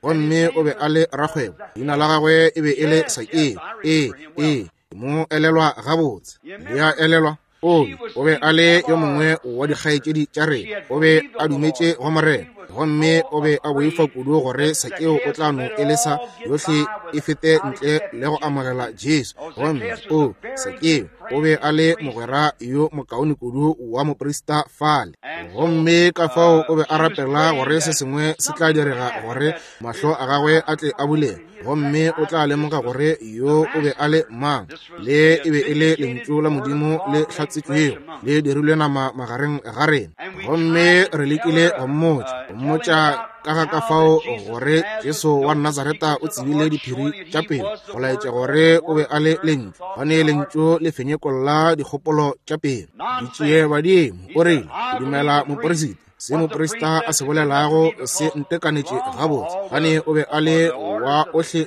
gomme o be a le rakgwebo, leina la gagwe e be e le Sakeo. Ee, ee, mo elelwa gabotse. Le a elelwa? O be a le yo mongwe wa dikgaetšedi tša rena, o be a dumetše go Morena. Gomme o be a boifa kudu gore Sakeo o tla no e lesa yohle e fete ntle le go amogela Jesu. Gomme o, Sakeo, o be a le mogwera yo mokaone kudu wa moprista fale. Gomme ka fao o be a rapela gore se sengwe se tla direga gore mahlo a gagwe a tle a bulege, gomme o tla lemoga gore yo o be a le mang. Le e be e le lentšu la Modimo le hlatsetšwego, le dirilwe nama magareng ga rena. Gomme re lekile go mmotša ka ga ka fao gore Jesu wa Nazareta o tsebile diphiri tša pelo, go laetša gore o be a le lentšu, gane lentšu le fenyekolla dikgopolo tša pelo. Ditšie badimo, o rile, ke dumela moporesita. Se moprista a se bolelago se ntekanetše gabotse, gane o be a le wa ohle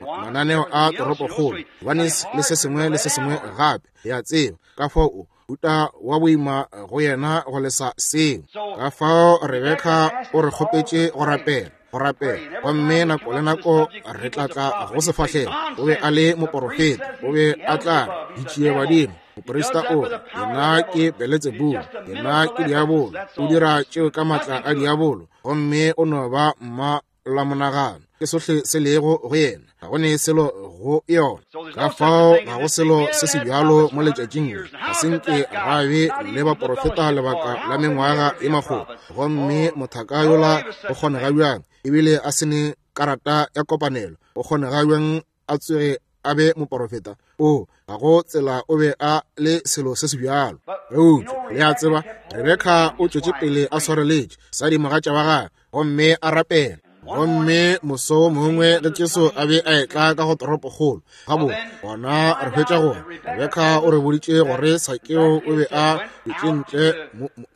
mananeo a toropokgolo, gobane le se sengwe le se sengwe gape, le a tseba. Ka fao o uta wa boima go yena go lesa seo. Ka fao Rebeka o re kgopetše go rapela, go rapela, gomme nako le nako re tla tla go sefahlego. O be a le moporofeta, o be a tla ditšie badimo. Moprista o re, yena ke Beletsebubu, yena ke diabolo, o dira tšeo ka matla a diabolo, gomme o no ba mma la monagano. Ke sohle se lego go yena, ga go ne selo go yona. Ka fao ga go selo se se bjalo mo letšatšing le. Ga se nke ra be le baporofeta lebaka la mengwaga e makgolo, gomme mothaka yola o kgonega bjang ebile a se ne karata ya kopanelo, o kgonega bjang a tsoge a be moporofeta? O, ga go tsela o be a le selo se se bjalo. Eupša le a tseba, Rebeka o tšwetše pele a swareletše sa dimogatša wa gagwe gomme a rapela. Gomme moso wo mongwe ge Jesu a be a etla ka go toropokgolo, gabotse gona re hwetša gore Rebeka o re boditše gore Sakeo o be a dutše ntle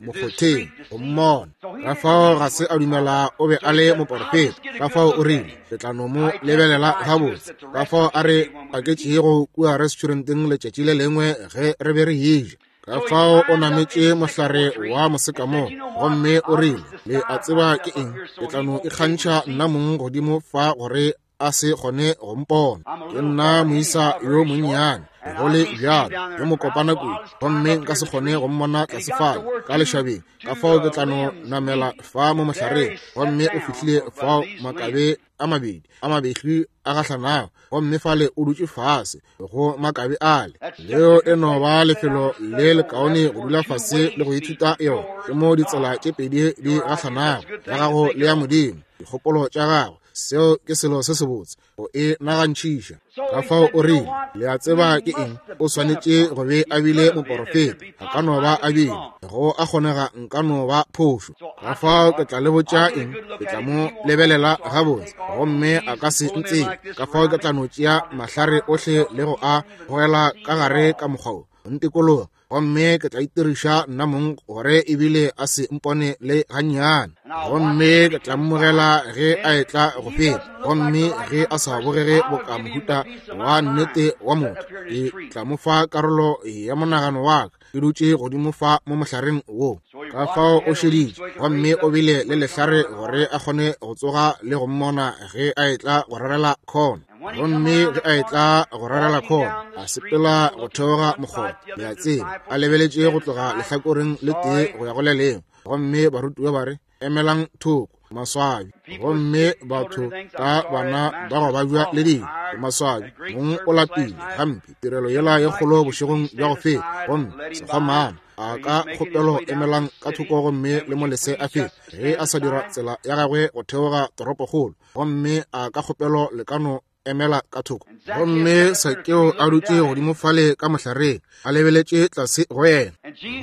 mokgotheng go mmona. Ka fao ga se a dumela o be a le moporofeta. Ka fao o rile, ke tla no mo lebelela gabotse. Ka fao a re paketšego kua restauranteng letšatši le lengwe ge re be re eja. Ka fao o nametše mohlare wa mosekamo gomme o rile, le a tseba ke eng, ke tla no ikgantšha nna mong godimo fa gore a se kgone go mpona. Ke nna moisa yo monnyane, go le bjalo, yo mokopana kudu, gomme nka se kgone go mmona tlase fale ka lešabeng. Ka fao ke tla no namela fa mo mohlareng. Gomme o fihlile fao makabe a mabedi a mabehli a gahlanago, gomme fale o dutše fase go makabe ale. Leo e no ba lefelo le lekaone go dula fase le go ithuta yona. Ke mo ditsela tše pedi di gahlanago, ya gago le ya Modimo, dikgopolo tša gago. Seo ke selo se sebotse go e nagantšhiša. Ka fao o rile, le a tseba ke eng, o swanetše go be a bile moporofeta. A ka no ba a bile, go a kgonega nka no ba phošo. Ka fao ke tla le botša eng, ke tla mo lebelela gabotse, gomme a ka se ntsebe. Ka fao ke tla no tšea mahlare ohle le go a gogela ka gare ka mokgwa wo, ntikologa, gomme ke tla itiriša nna mong gore ebile a se mpone le gannyane. Gomme ke tla mmogela ge a etla go feta, gomme ge a sa bogege boka mohuta wa nnete wa motho, ke tla mo fa karolo ya monagano wa ka, ke dutše godimo fa mo mohlareng wo. Ka fao o šeditše, gomme o bile le lehlare gore a kgone go tsoga le go mmona ge a etla go rarela khona. Gomme ge a etla go rarela khona, a sepela go theoga mokgoba, le a tseba, a lebeletše go tloga lehlakoreng le tee go ya go le lengwe. Gomme barutiwa ba re, emelang thoko, maswabi. Gomme batho ka bana ba go babja le dilo, ke maswabi. Mong o lapile gampe tirelo yela ye kgolo bošegong bja go feta, gomme sekgwamana a ka kgopelo emelang ka thoko gomme le mo lese a fete ge a sa dira tsela ya gagwe go theoga toropokgolo, gomme a ka kgopelo le ka no emela ka thoko. Gomme Sakeo a dutše godimo fale ka mohlareng, a lebeletše tlase go yena.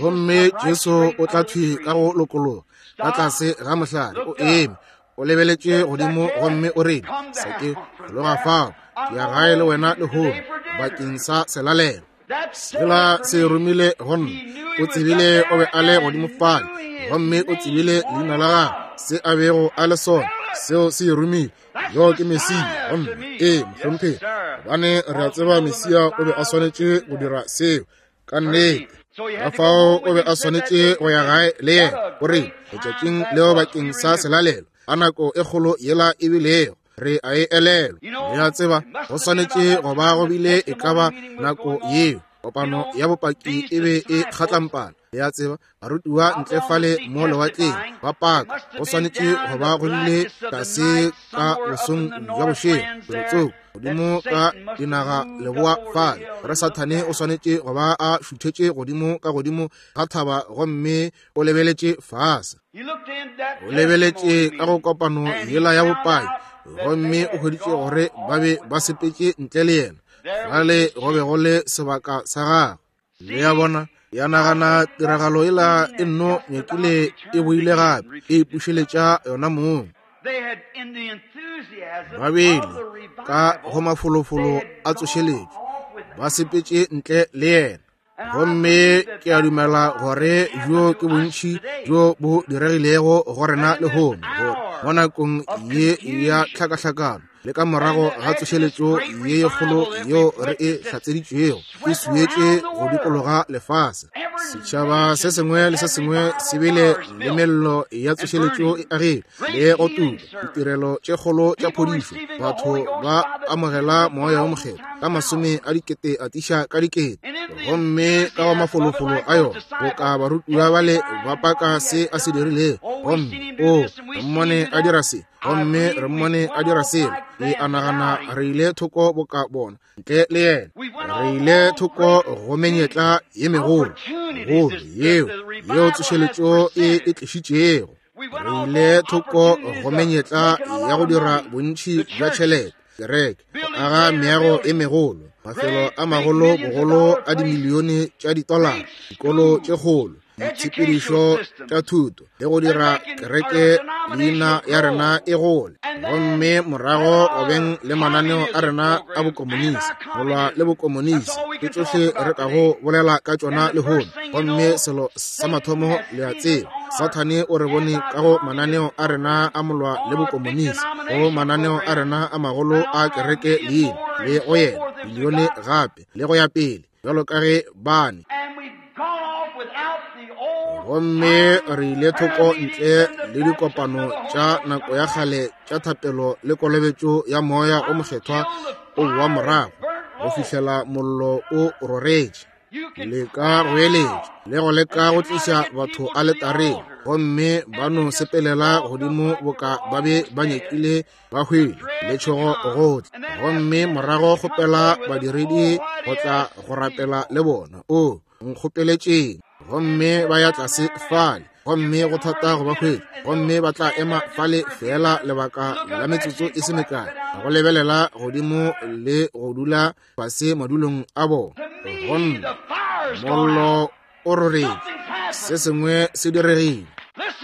Gomme Jesu o tla thwi ka go lokologa ka tlase ga mohlare, o eme, o lebeletše godimo gomme o rile, Sakeo, tloga fao, ke ya gae le wena lehono bakeng sa selalelo. Sela se romile go nna. O tsebile o be a le godimo fale, gomme o tsebile leina la gagwe, se a bego a le sona, seo se romile. Yo ke Mesia go nna. Ee, mohlomphegi, gobane re a tseba Mesia o be a swanetše go dira seo ka nnete. Ka fao o be a swanetše go ya gae le yena. O rile, letšatšing leo bakeng sa selalelo, a nako e kgolo yela e bilego, re a e elelwa. Le a tseba, go swanetše go ba go bile e ka ba nako yeo kopano ya bopaki e be e kgatlampana. Le a tseba, barutiwa ntle fale mo lewatleng ba paka, go swanetše go ba go bile tlase ka bosong bja bošego felotsoko godimo ka dinaga leboa fale, gore Sathane o swanetše go ba a šuthetše godimo ka godimo ga thaba gomme o lebeletše fase. O lebeletše ka go kopano yela ya bopaki gomme o hweditše gore ba be ba sepetše ntle le yena. Fale go be go le sebaka sa gagwe. Le a bona, ya nagana tiragalo ela e nno nyakile e boile gape, e ipušeletša yona mong. Ba bile ka go mafolofolo a tsošeletšo, ba sepetše ntle le yena. Gomme ke a dumela gore bjo ke bontši bjo bo diregilego go rena lehono, gore mo nakong ye ya tlhakahlakano le ka morago ga tsošeletšo ye ye kgolo yeo re e hlatseditšwego e swietše go dikologa lefase, setšhaba se sengwe le se sengwe se bile le mello ya tsošeletšo e agile le go tuka ditirelo tše kgolo tša phodišo, batho ba amogela moya wo mokgethwa ka masome a dikete a tiša ka dikete, gomme ka wa mafolofolo a yona boka barutiwa bale ba paka se a se dirilego, gomme o re mmone a dira se, gomme re mmone a dira sela. Ke a nagana re ile thoko boka bona ntle le yena, re ile thoko go menyetla ye megolo golo yeo yeo tsošeletšo e e tlišitšego. Re ile thoko go menyetla ya go dira bontši bja tšhelete, kereke, go aga meago e megolo, mafelo a magolo bogolo a dimilione tša ditolara, dikolo tše kgolo, ditshepedišo tša thuto, le go dira kereke leina ya rena e gole, gomme morago go beng le mananeo a rena a bokomonisi, go lwa le bokomonisi, ke tšohle re kago bolela ka tšona lehono. Gomme selo sa mathomo le a tseba, Sathane o re bone ka go mananeo a rena a molwa le bokomonisi, go mananeo a rena a magolo a kereke leina, le go yena bilione gape, le go ya pele, bjalo ka ge bane. Gomme re ile thoko ntle le dikopano tša nako ya kgale tša thapelo le kolobetšo ya moya o mokgethwa o boa morago go fihlela mollo o roretše. Le ka go eletša le go leka go tliša batho aletareng, gomme ba no sepelela godimo boka ba be ba nyakile ba hwile letšhogo gohle, gomme morago kgopela badiredi go tla go rapela le bona. O nkgopeletšeng, gomme ba ya tlase fale, gomme go thata go ba hwetša, gomme ba tla ema fale feela lebaka la metsotso e se mekae go lebelela godimo le go dula fase madulong a bona. Gomme mollo o roretše, se sengwe se diregile.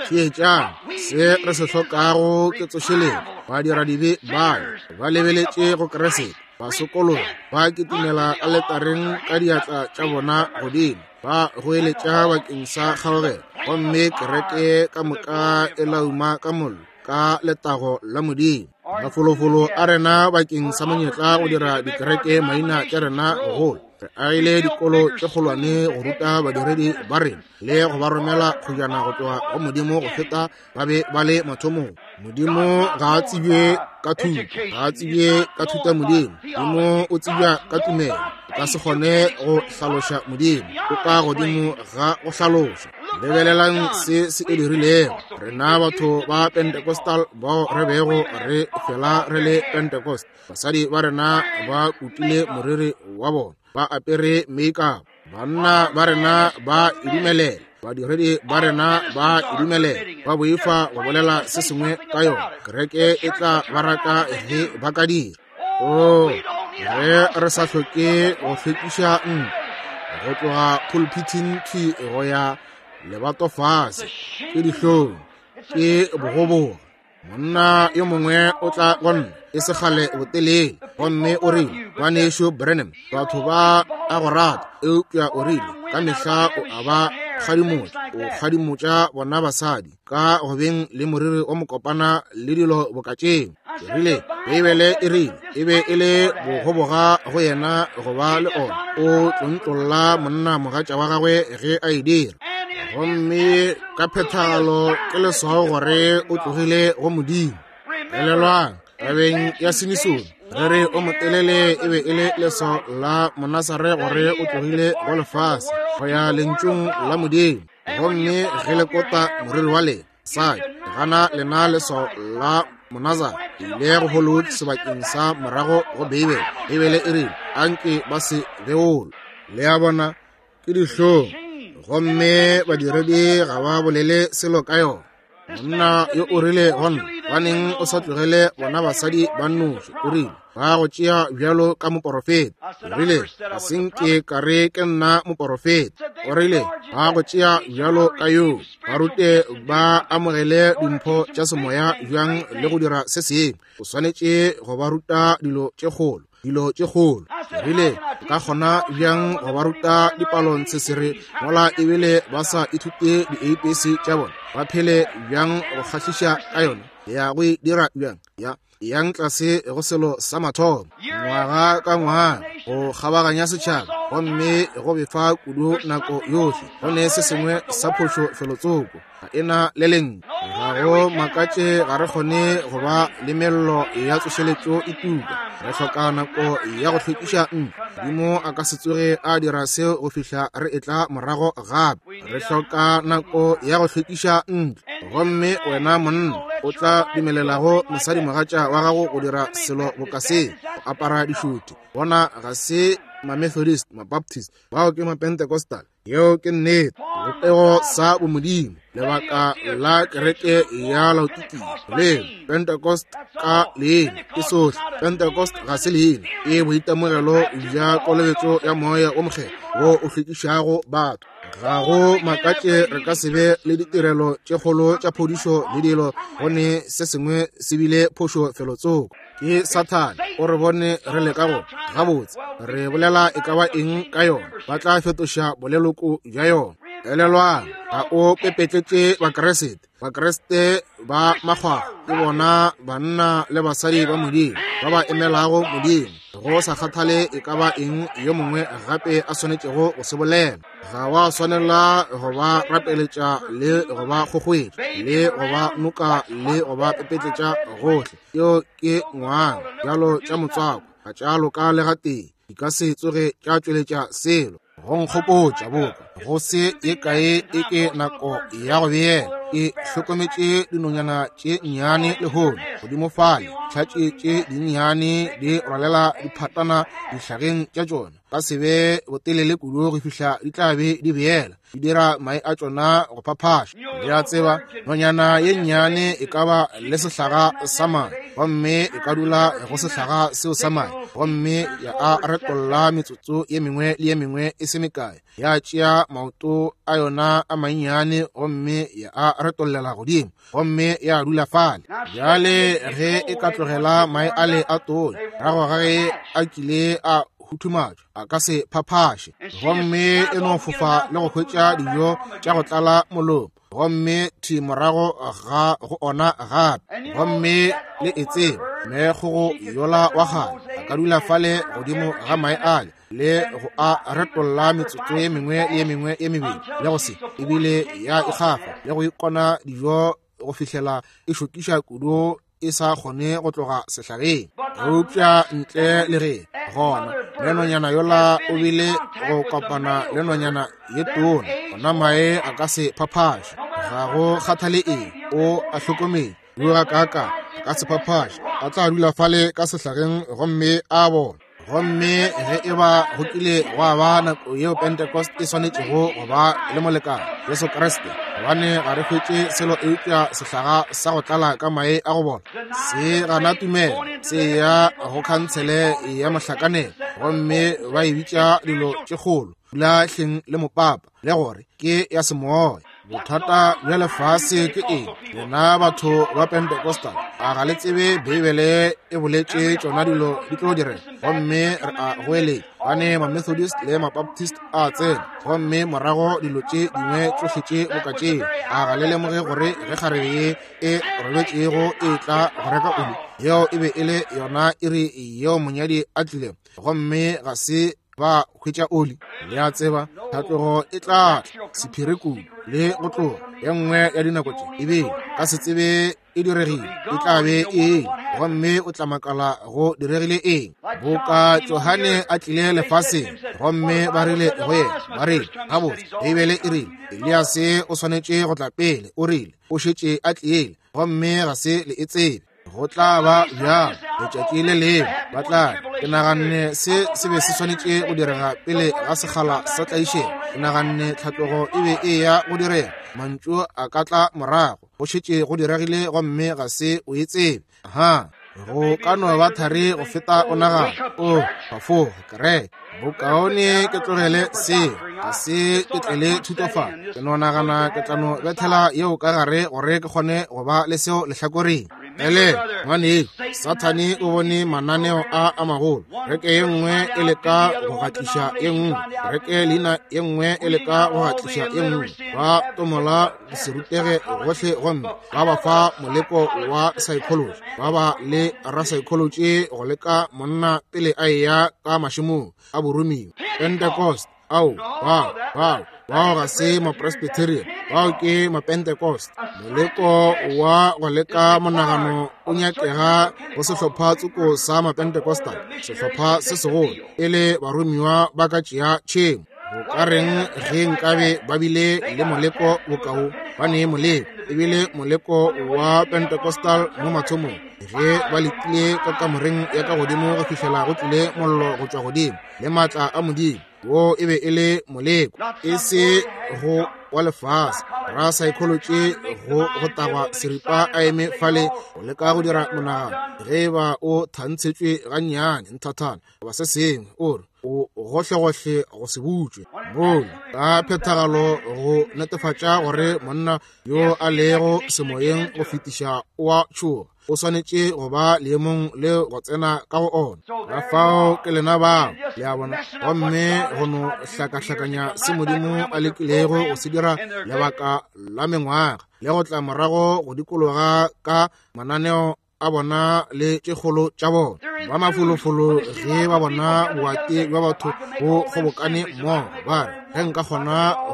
Theetšang, se re se hlokago ke tsošeletšo. Badiradibe bale ba lebeletše go Kriste, ba sokologa, ba kitimela aletareng ka diatla tša bona godimo, ba goeletša bakeng sa kgaogelo, gomme kereke ka moka e lauma ka mollo ka letago la Modimo. Mafolofolo a rena bakeng sa monyetla go dira dikereke maina tša rena gogolo. Re agile dikolo tše kgolwane go ruta badiredi ba rena le go ba romela kgojana go tloga go Modimo go feta ba be ba le mathomong. Modimo ga a tsebje ka thuto, ga a tsebje ka thuta Modimo. Modimo o tsebja ka tumelo. O ka se kgone go hlaloša Modimo, o ka godimo ga go hlaloša. Lebelelang se se e dirilego. Rena batho ba Pentecostal bao re bego re fela re le Pentecost, basadi ba rena ba kutile moriri wa bona, ba apere makeup, banna ba rena ba e dumelela, badiredi ba rena ba e dumelela, ba boifa go bolela se sengwe ka yona. Kereke e tla ba raka ge ba ka dira. Oh, ge re sa hloke go hlwekiša ntlo go tloga pulpiting thwi go ya lebato fase, ke dihlong, ke bogoboga. Monna yo mongwe o tla go nna e se kgale botelele, gomme o rile, Ngwanešu Branham, batho ba a go rata, eupša o rile, ka mehla o a ba kgadimotša, o kgadimotša bona basadi ka go beng le moriri o mokopana le dilo boka tšeo. Ke rile, Beibele e rile e be e le bogoboga go yena go ba le ona, o tlontlolla monna mogatša wa gagwe ge a e dira. Gomme ka phethagalo ke leswao gore o tlogile go Modimo. Elelwang, tabeng ya Simisone, re re o motelele e be e le leswao la Monasare gore o tlogile go lefase. go ya Lentšung la Modimo. Gomme ge le kota moriri wa lena, basadi, gana lena leswao la Monazare, ile go Hollywood sebakeng sa morago go Beibele. Beibele e rile, anke ba se beolwe. Le a bona, ke dihlong. Gomme badiredi ga ba bolele selo ka yona. Monna yo o rile go nna, baneng o sa tlogele bona basadi ba nnoši? O rile, ba go tšea bjalo ka moporofeta. O rile, ga se nke ka re ke nna moporofeta. O rile, ba go tšea bjalo ka yo. Ba rute ba amogele dimpho tša semoya bjang le go dira se sengwe. O swanetše go ba ruta dilo tše kgolo. Dilo tše kgolo. Ke rile, o ka kgona bjang go ba ruta dipalo ntshesere mola ebile ba sa ithute di-ABC tša bona? Ba phele bjang go kgahliša ka yona? Ya go e dira bjang? Ya yang tlase go selo sa mathomo, ngwaga ka ngwaga, go kgabaganya setšhaba, gomme go befa kudu nako yohle. Go ne se sengwe sa phošo felotsoko. Ga e na le lentšu. Ga go makatše ga re kgone go ba le mello ya tsošeletšo e tuka. Re hloka nako ya go hlwekiša ntlo. Modimo a ka se tsoge a dira seo go fihla re etla morago gape. Re hloka nako ya go hlwekiša ntlo. Gomme wena monna o tla dumelelago mosadimogatša wa gago go dira selo boka se, go apara dišuti. Bona ga se ma-Methodist, ma-Baptist, bao ke ma-Pentecostal. Yeo ke nnete. Sebopego sa bomodimo, lebaka la kereke ya Laodikia le Pentecost ka leina ke sohle. Pentecost ga se leina, ke boitemogelo bja kolobetšo ya Moya wo Mokgethwa wo o hlwekišago batho. Ga go makatše re ka se be le ditirelo tše kgolo tša phodišo le dilo, go ne se sengwe se bile phošo felotsoko. Ke Sathane, o re bone re leka go gabotse re bolela e ka ba eng ka yona, ba tla fetoša boleloko bja yona. Elelwang, ga o pepetletše Bakriste. Bakriste ba makgwakgwa ke bona banna le basadi ba Modimo ba ba emelago Modimo, go sa kgathale e ka ba eng yo mongwe gape a swanetšego go se bolela. Ga wa swanela go ba rapeletša le go ba kgokgoetša le go ba noka le go ba pepetletša gohle. Yeo ke ngwang bjalo tša motswako, ga tša loka le gatee, di ka se tsoge tša tšweletša selo. Go nkgopotša boka go se ye kae e ke nako ya go beela. Ke hlokometše dinonyana tše nnyane lehono godimo fale, tšhatše tše dinnyane di rwalela diphatana dihlageng tša tšona, ka se be botelele kudu go fihla di tla be di beela, di dira mae a tšona go phaphaša. Le a tseba, nonyana ye nnyane e ka ba le sehlaga sa mae, gomme e ka dula go sehlaga seo sa mae, gomme ya a retolla metsotso ye mengwe le ye mengwe e se mekae, ya tšea maoto a yona a mannyane gomme ya a retollela godimo, gomme ya dula fale. Bjale ge e ka tlogela mae ale a tonya, morago ga ge a kile a huthumatšwa, a ka se phaphaše, gomme e no fofa le go hwetša dijo tša go tlala molomo, gomme thi morago ga go ona gape. Gomme le e tseba, meekgogo yola wa kgale a ka dula fale godimo ga mae ale le go a retolla metsotso ye mengwe le ye mengwe ye mebedi, le go se ebile ya ikgafa le go ikona dijo go fihlela e šokiša kudu e sa kgone go tloga sehlageng. Eupša ntle le ge gona le nonyana yola o bile go kopana le nonyana ye tona, gona mae a ka se phaphaše. Ga go kgathale eng, o a hlokometše yo ga kaaka a ka se phaphaše, a tla dula fale ka sehlageng gomme a bona. Gomme ge e ba go kile gwa ba nako yeo Pentecost e swanetšego go ba le molekane, Jesu Kriste, gobane ga re hwetše selo eupša sehlaga sa go tlala ka mae a go bola, se gana tumelo, se ya go khantshele ya mohlakanelo, gomme ba e bitša dilo tše kgolo, dula hleng le mopapa, le gore ke ya semoya. Bothata bja lefase ke eng? Lena batho ba Pentecostal, a ga le tsebe Beibele e boletše tšona dilo di tlo direga? Gomme re a goeletša, gobane ma-Methodist le ma-Baptist a tsena, gomme morago dilo tše dingwe tšohle tše boka tšeo. A ga le lemoge gore ge kgarebe ye e robetšego e tla go reka oli, yeo e be e le yona iri yeo monyadi a tlilego, gomme ga se ba hwetša oli? Le a tseba, tlhatlogo e tla tla sephiri kudu le go tloga. Ye nngwe ya dinako tše e be ka se tsebe e diregile, e tla be e. gomme o tla makala go diregile eng. Boka Johane a tlile lefaseng, gomme ba rile go yena, ba rile, gabotse, Beibele e rile, Eliase o swanetše go tla pele, o rile, o šetše a tlile, gomme ga se le e tsebe. Go tla ba bjalo letšatši le lengwe ba tla. Ke naganne se se be se swanetše go direga pele ga sekgala sa tlaišego. Ke naganne tlhatlogo e be e ya go direga. Mantšu a ka tla morago. Go šetše go diregile gomme ga se o e tsebe. Aha, go ka no ba thari go feta o nagana. O phafoga, kereke. Bokaone ke tlogele seo, ga se ke tlele thuto fa. Ke no nagana ke tla no bethela yeo ka gare gore ke kgone go ba le seo lehlakoreng. Ele, ngwanešu, Sathane o bone mananeo a a magolo. Kereke ye nngwe e leka go gatliša ye nngwe, kereke leina ye nngwe e leka go gatliša ye nngwe. Ba tomola go se rutege gohle gomme ba ba fa moleko wa psychology, ba ba le rapsychology go leka monna pele a eya ka mašemong a boromiwa. Pentecost, ao, bao, bao, bao ga se mapresbyterian, bao ke mapentecost. Moleko wa go leka monagano o nyakega go sehlopha tsoko sa mapentecostal, sehlopha se segolo, e le baromiwa ba ka tšea tšhemo. Go ka reng ge nkabe ba bile le moleko bokao? Ba ne moleko, ebile moleko wa Pentecostal mo mathomong, ge ba letile ka kamoreng ya ka godimo go fihlela go tlile mollo go tšwa godimo le maatla a Modimo. Wo e be e le moleko, e se go wa lefase ra psychology go go tagwa seripa a eme fale go leka go dira monagano. Ge e ba o thantshetšwe gannyane nthathana goba se sengwe, o re o gohlegohle go se butšwe mola ka phethagalo go netefatša gore monna yo a lego semoyeng go fetiša o a tšhoga, o swanetše go ba leemong le go tsena ka go ona. Ka fao ke lena bao, le a bona, gomme go no hlakahlakanya se Modimo a lekilego go se dira lebaka la mengwaga, le go tla morago go dikologa ka mananeo a bona le tše kgolo tša bona. Ba mafolofolo ge ba bona boate bja batho bo kgobokane mmogo, ba re, ge nka kgona go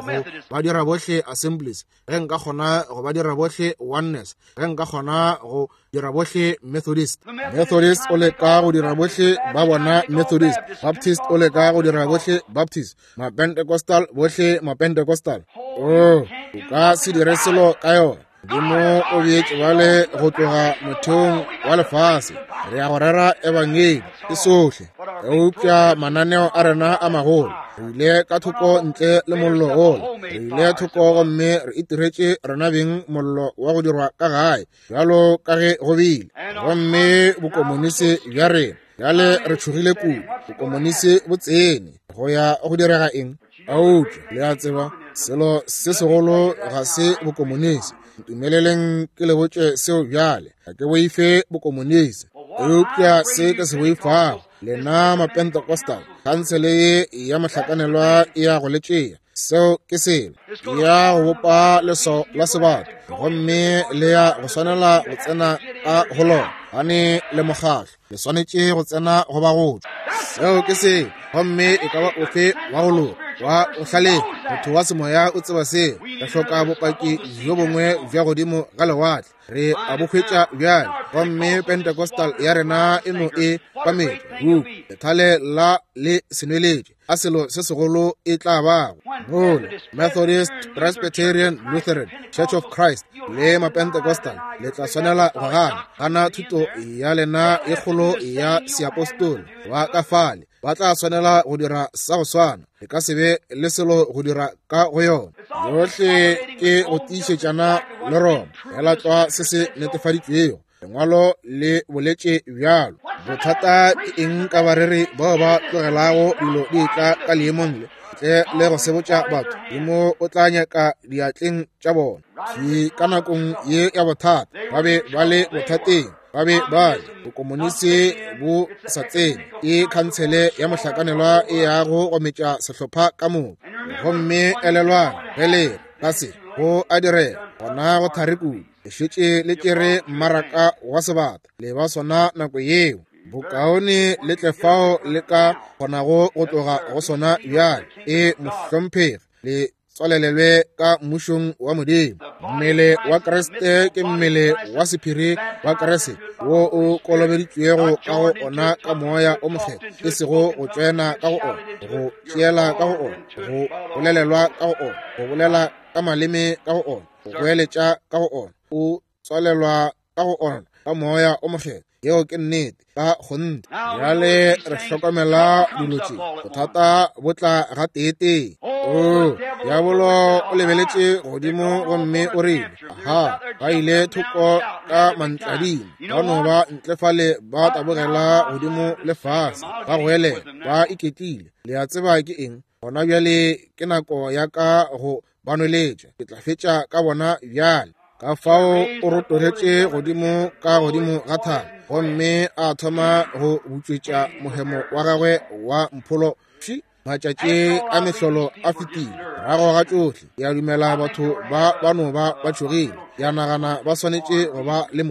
ba dira bohle Assemblies, ge nka kgona go ba dira bohle Oneness, ge nka kgona go dira bohle Methodist. Methodist o leka go dira bohle ba bona Methodist, Baptist o leka go dira bohle Baptist, Mapentecostal bohle Mapentecostal. Oh, o ka se dire selo ka yona. Modimo o beetše bale go tloga motheong wa lefase. Re ya go rera ebangedi ke sohle, eupša mananeo a rena a magolo re ile ka thoko ntle le mollo gola, re ile thoko gomme re itiretše rena beng mollo wa go dirwa ka gae, bjalo ka ge go bile. Gomme bokomonisi bja rena bjale re tšhogile kudu, bokomonisi bo tsene. Go ya go direga eng? Eupša le a tseba, selo se segolo ga se bokomonisi. Ntumeleleng ke le botše seo bjale. Ga ke boife bokomonisi, eupša se ke se boifago, lena Mapentecostal, khansele ye ya mohlakanelwa e ya go le tšea. Seo ke selo ya go bopa leswao la sebata, gomme le ya go swanela go tsena ka go lona, gane le mokgahlo le swanetše go tsena go ba go tšwa. Seo ke selo, gomme e ka ba ofe wa go loka wa go hlalefa motho wa semoya o tseba seo. Re hloka bopaki bjo bongwe bja godimo ga lewatle, re a bo hwetša bjale, gomme Pentecostal ya rena e no e kwametša huku lethale la le senweletše. A selo se segolo e tla bago mola Methodist, Presbyterian, Lutheran, Church of Christ le Mapentecostal le tla swanela go gana gana thuto ya lena e kgolo ya seapostolo ba ka fale ba tla swanela go dira sa go swana. E ka se be le selo go dira ka go yona. Yohle ke go tiišetšana le Roma, fela tlwa se se netefaditšwego. Lengwalo le boletše bjalo. Bothata ke eng ka bareri bao ba tlogelago dilo di etla ka leemong le, ntle le go sebotša batho? Modimo o tla nyaka diatleng tša bona. Thwi ka nakong ye ya bothata, ba be ba le bothateng, ba be ba le bokomonisi bo sa tsene, ke khansele ya mohlakanelwa e yago go metša sehlopha ka moka. Gomme elelwang, ge le re ka se go a direga, gona go thari kudu. Le šetše le tšere mmaraka wa sebata, le ba sona nako yeo. Bokaone le tle fao le ka kgonago go tloga go sona bjale. E, mohlomphegi, le tswalelelwe ka mmušong wa Modimo. Mmele wa Kriste ke mmele wa sephiri wa Kriste wo o kolobeditšwego ka go ona ka Moya o Mokgethwa, e sego go tsena ka go ona, go tšeela ka go ona, go bolelelwa ka go ona, go bolela ka maleme ka go ona, go goeletša ka go ona. O tswalelwa ka go ona ka Moya o Mokgethwa. Yeo ke nnete ka kgonthe. Bjale re hlokomela dilo tše, bothata bo tla gateetee. O, diabolo o lebeletše godimo gomme o rile, aha, ba ile thoko ka mantladima, ba no ba ntle fale ba tabogela godimo le fase, ba goelela, ba iketlile. Le a tseba ke eng? Gona bjale ke nako ya ka go ba nweletša. Ke tla fetša ka bona bjale. Ka fao o rotogetše godimo ka godimo ga thaba gomme a thoma go butšwetša mohemo wa gagwe wa mpholo. Pši, matšatši a mehlolo a fetile. Morago ga tšohle, ke a dumela batho ba ba no ba ba tšhogile. Ke a nagana ba swanetše go ba le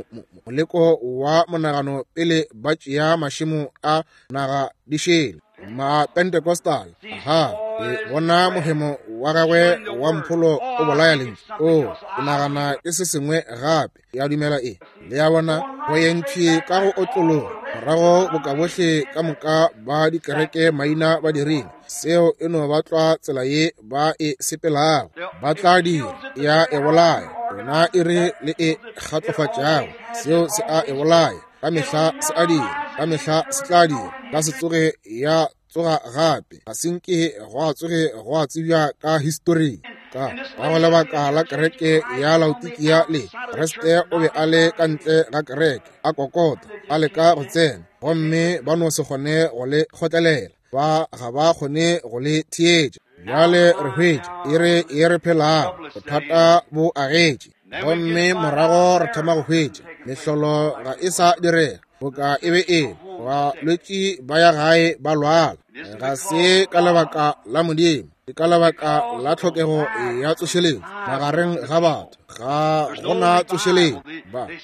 moleko wa monagano pele ba tšea mašemo a naga di šele. Mapentecostal, aha, ke bona mohemo wa gagwe wa mpholo o bolaya lentšu. O, ke nagana ke se sengwe gape. Ke a dumela e. Le a bona, go yentšhi ka go otlologa morago boka bohle ka moka ba dikereke maina ba dirile. Seo e no ba tlwa tsela ye ba e sepelago. Ba tla dira, ya e bolaya. Yona e re le e kgatlofatšago, seo se a e bolaya. Ka mehla se a dira, ka mehla se tla dira. Ka se tsoge ya tsoga gape, ga se nke gwa tsoge gwa tsebja ka historing. Ka go lebaka la kereke ya Laodikia le Kriste o be a le ka ntle ga kereke, a kokota, a leka go tsena, gomme ba no se kgone go le kgotlelela, ba ga ba kgone go le theetša. Bjale re hwetša iri ye re phelago, bothata bo agetše, gomme morago re thoma go hwetša mehlolo ga e sa direga boka e be e le. Balwetši ba ya gae ba lwala, ga se ka lebaka la Modimo, ke ka lebaka la tlhokego ya tsošeletšo magareng ga batho. Ga gona tsošeletšo,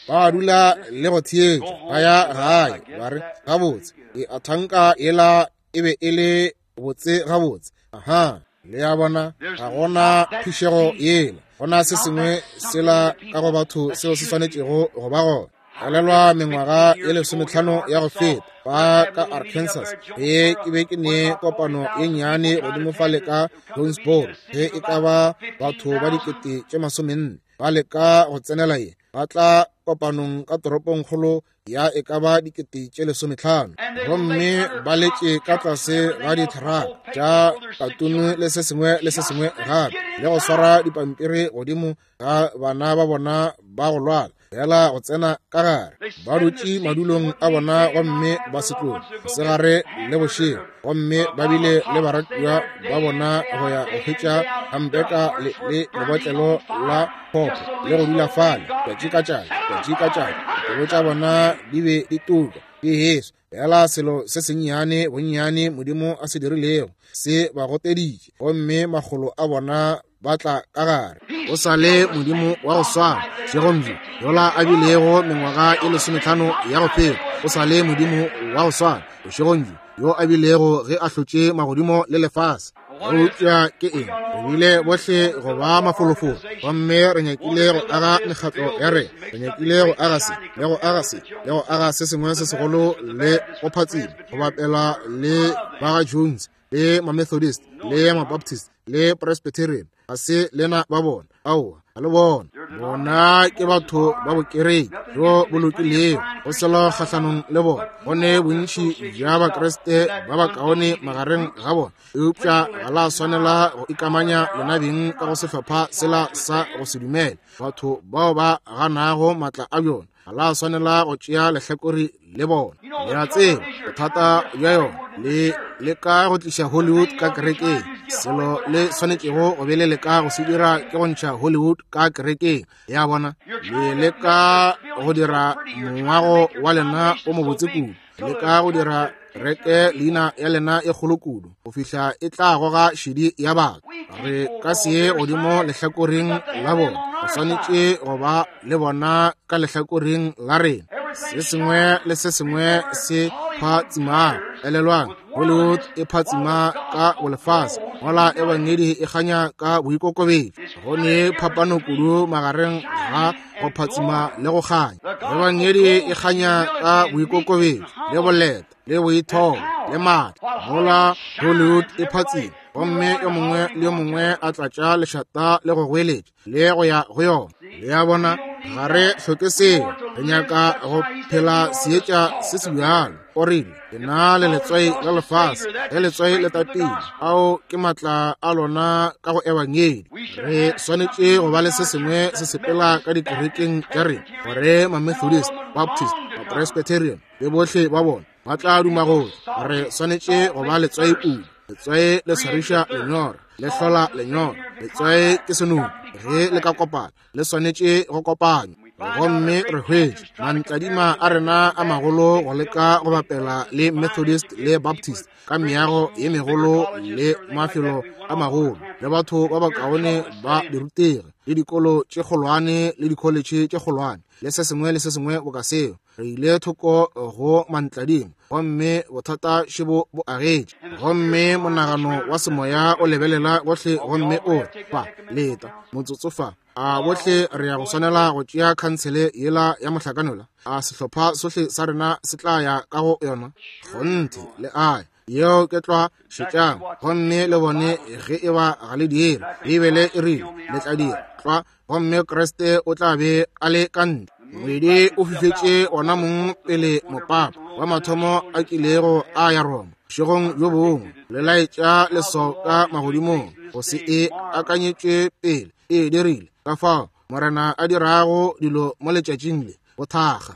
ba dula le go theetša, ba ya gae ba re, gabotse, ke a thanka yela e be e le botse gabotse. Aha, le a bona, ga gona phišego yela, gona se sengwe sela ka go batho seo se swanetšego go ba gona. Elelwa mengwaga ye 15 ya go feta ba ka Arkansas, ge ke be ke ne kopano ye nnyane godimo fale ka Jonesboro, ge e ka ba batho ba 40,000 ba leka go tsenela ye, ba tla kopanong ka toropongkgolo ya e ka ba 15,000, gomme ba letše ka tlase ga ditheraka tša katunu le se sengwe le se sengwe gape, le go swara dipampiri godimo ga bana ba bona ba go lwala fela go tsena ka gare. Ba dutše madulong a bona gomme ba se tloge mosegare le bošego, gomme ba bile le baratiwa ba bona go ya go hwetša hampeka le lebotlelo la phopho le go dula fale tšatši ka tšatši, tšatši ka tšatši. Dipelo tša bona di be di tuka di heswa. Fela selo se sennyane bonnyane Modimo a se dirilego se ba goteditše, gomme makgolo a bona ba tla ka gare. O sa le Modimo wa go swana šegong bjo yola a bilego mengwaga e 15 ya go feta. O sa le Modimo wa go swana bošegong bjo yo a bilego ge a hlotše magodimo le lefase. Eupša ke eng? Re bile bohle go ba mafolofolo, gomme re nyakile go aga mekgatlo ya rena, re nyakile go aga se le go aga se le go aga se sengwe se segolo le go phatsima, go bapela le ba ga Jones le ma-Methodist le ma-Baptist le Presbyterian. Ga se lena ba bona, aowa, ga le bona. Bona ke batho ba bokereke bjo bo lokilego, go selo kgahlanong le bona. Go ne bontši bja Bakriste ba bakaone magareng ga bona, eupša ga la swanela go ikamanya lena beng ka go sehlopha sela sa go se dumele, batho bao ba ganago maatla a bjona. Ga la swanela go tšea lehlakore le bona. Le a tseba bothata bja yona, le leka go tliša Hollywood ka kerekeng. Selo le swanetšego go be le leka go se dira ke go ntšha Hollywood ka kerekeng. Ya bona, le leka go dira mongwago wa lena o mobotse kudu, leka go dira reke leina ya lena e kgolo kudu go fihla e tla goga šedi ya batho. Re ka se ye godimo lehlakoreng la bona, re swanetše go ba le bona ka lehlakoreng la rena. Se sengwe le se sengwe se phatsimago. Elelwang, Hollywood e phatsima ka bolefase, mola Ebangedi e kganya ka boikokobetšo. Go ne phapano kudu magareng ga go phatsima le go kganya. Ebangedi e kganya ka boikokobetšo le boleta le boithobo le maatla, mola Hollywood e phatsima gomme yo mongwe le yo mongwe a tlatša lešata le go goeletša le go ya go yona. Le a bona, ga re hloke seo. Re nyaka go phela seetša se se bjalo. O rile, ke na le letswai la lefase, ge letswai le tatile, ao ke maatla a lona ka go Ebangedi. Re swanetše go ba le se sengwe se sepela ka dikerekeng tša rena, gore Mamethodist, Baptist, Mapresbyterian le bohle ba bona ba tla duma gore re swanetše go ba letswai kudu. Letswai le swariša lenyora, le hlola lenyora. Letswai ke senono, ge le ka kopana le swanetše go kopanywa. Gomme re hwetše mantladima a rena a magolo go leka go bapela le Methodist le Baptist ka meago ye megolo le mafelo a magolo le batho ba bakaone ba dirutegi le dikolo tše kgolwane le dikholetšhe tše kgolwane le se sengwe le se sengwe boka seo. Re ile thoko go mantladimo gomme bothata šebo bo agetše, gomme monagano wa semoya o lebelela gohle gomme o re, fa leta motsotso fa, a bohle re ya go swanela go tšea khansele yela ya mohlakanola? A sehlopha sohle sa rena se tla ya ka go yona? Kgonthe le a yeo ke tlwa. Šetšang gomme le bone ge e ba ga le dire. Beibele e rile le tla dira tlwa, gomme Kriste o tla be a le ka ntle. Ngwedi o fifetše ona mong pele mopapa wa mathomo a kilego a ya Roma bošegong bjo bongwe, le laetša leswao ka magodimong go se e akanyetšwe pele e dirile. Ka fao Morena a dirago dilo mo letšatšing le, bothakga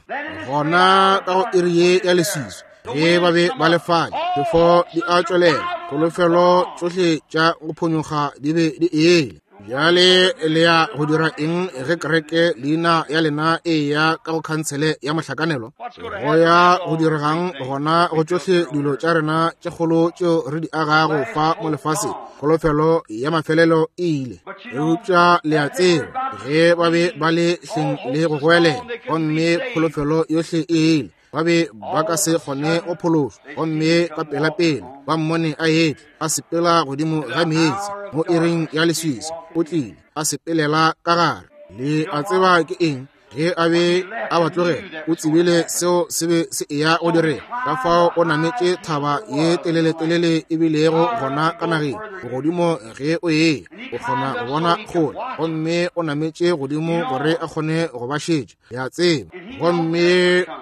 gona ka go iri ye ya leswiswi ge ba be ba le fale, phefo di a tšwelela, kholofelo tšohle tša go phonyokga di be di ele. Bjale le ya go dira eng ge kereke leina ya lena e ya ka go khansele ya mohlakanelo? Go ya go diregang gona go tšohle dilo tša rena tše kgolo tšeo re di agago fa mo lefaseng? Kholofelo ya mafelelo e ile. Eupša le a tseba, ge ba be ba le hleng le go goelela, gomme kholofelo yohle e ile, ba be ba ka se kgone go phološwa. Gomme ka pelapela ba mmone a etla a sepela godimo ga meetse mo iring ya leswiswi, o tlile a sepelela ka gare. Le a tseba ke eng? Ge a be a ba tlogela, o tsebile seo se be se eya go direga. Ka fao o nametše thaba ye teleletelele e bilego gona ka nageng godimo. Ge o eya o kgona go bona kgole, gomme o nametše godimo gore a kgone go ba šetša, ya tseba. Gomme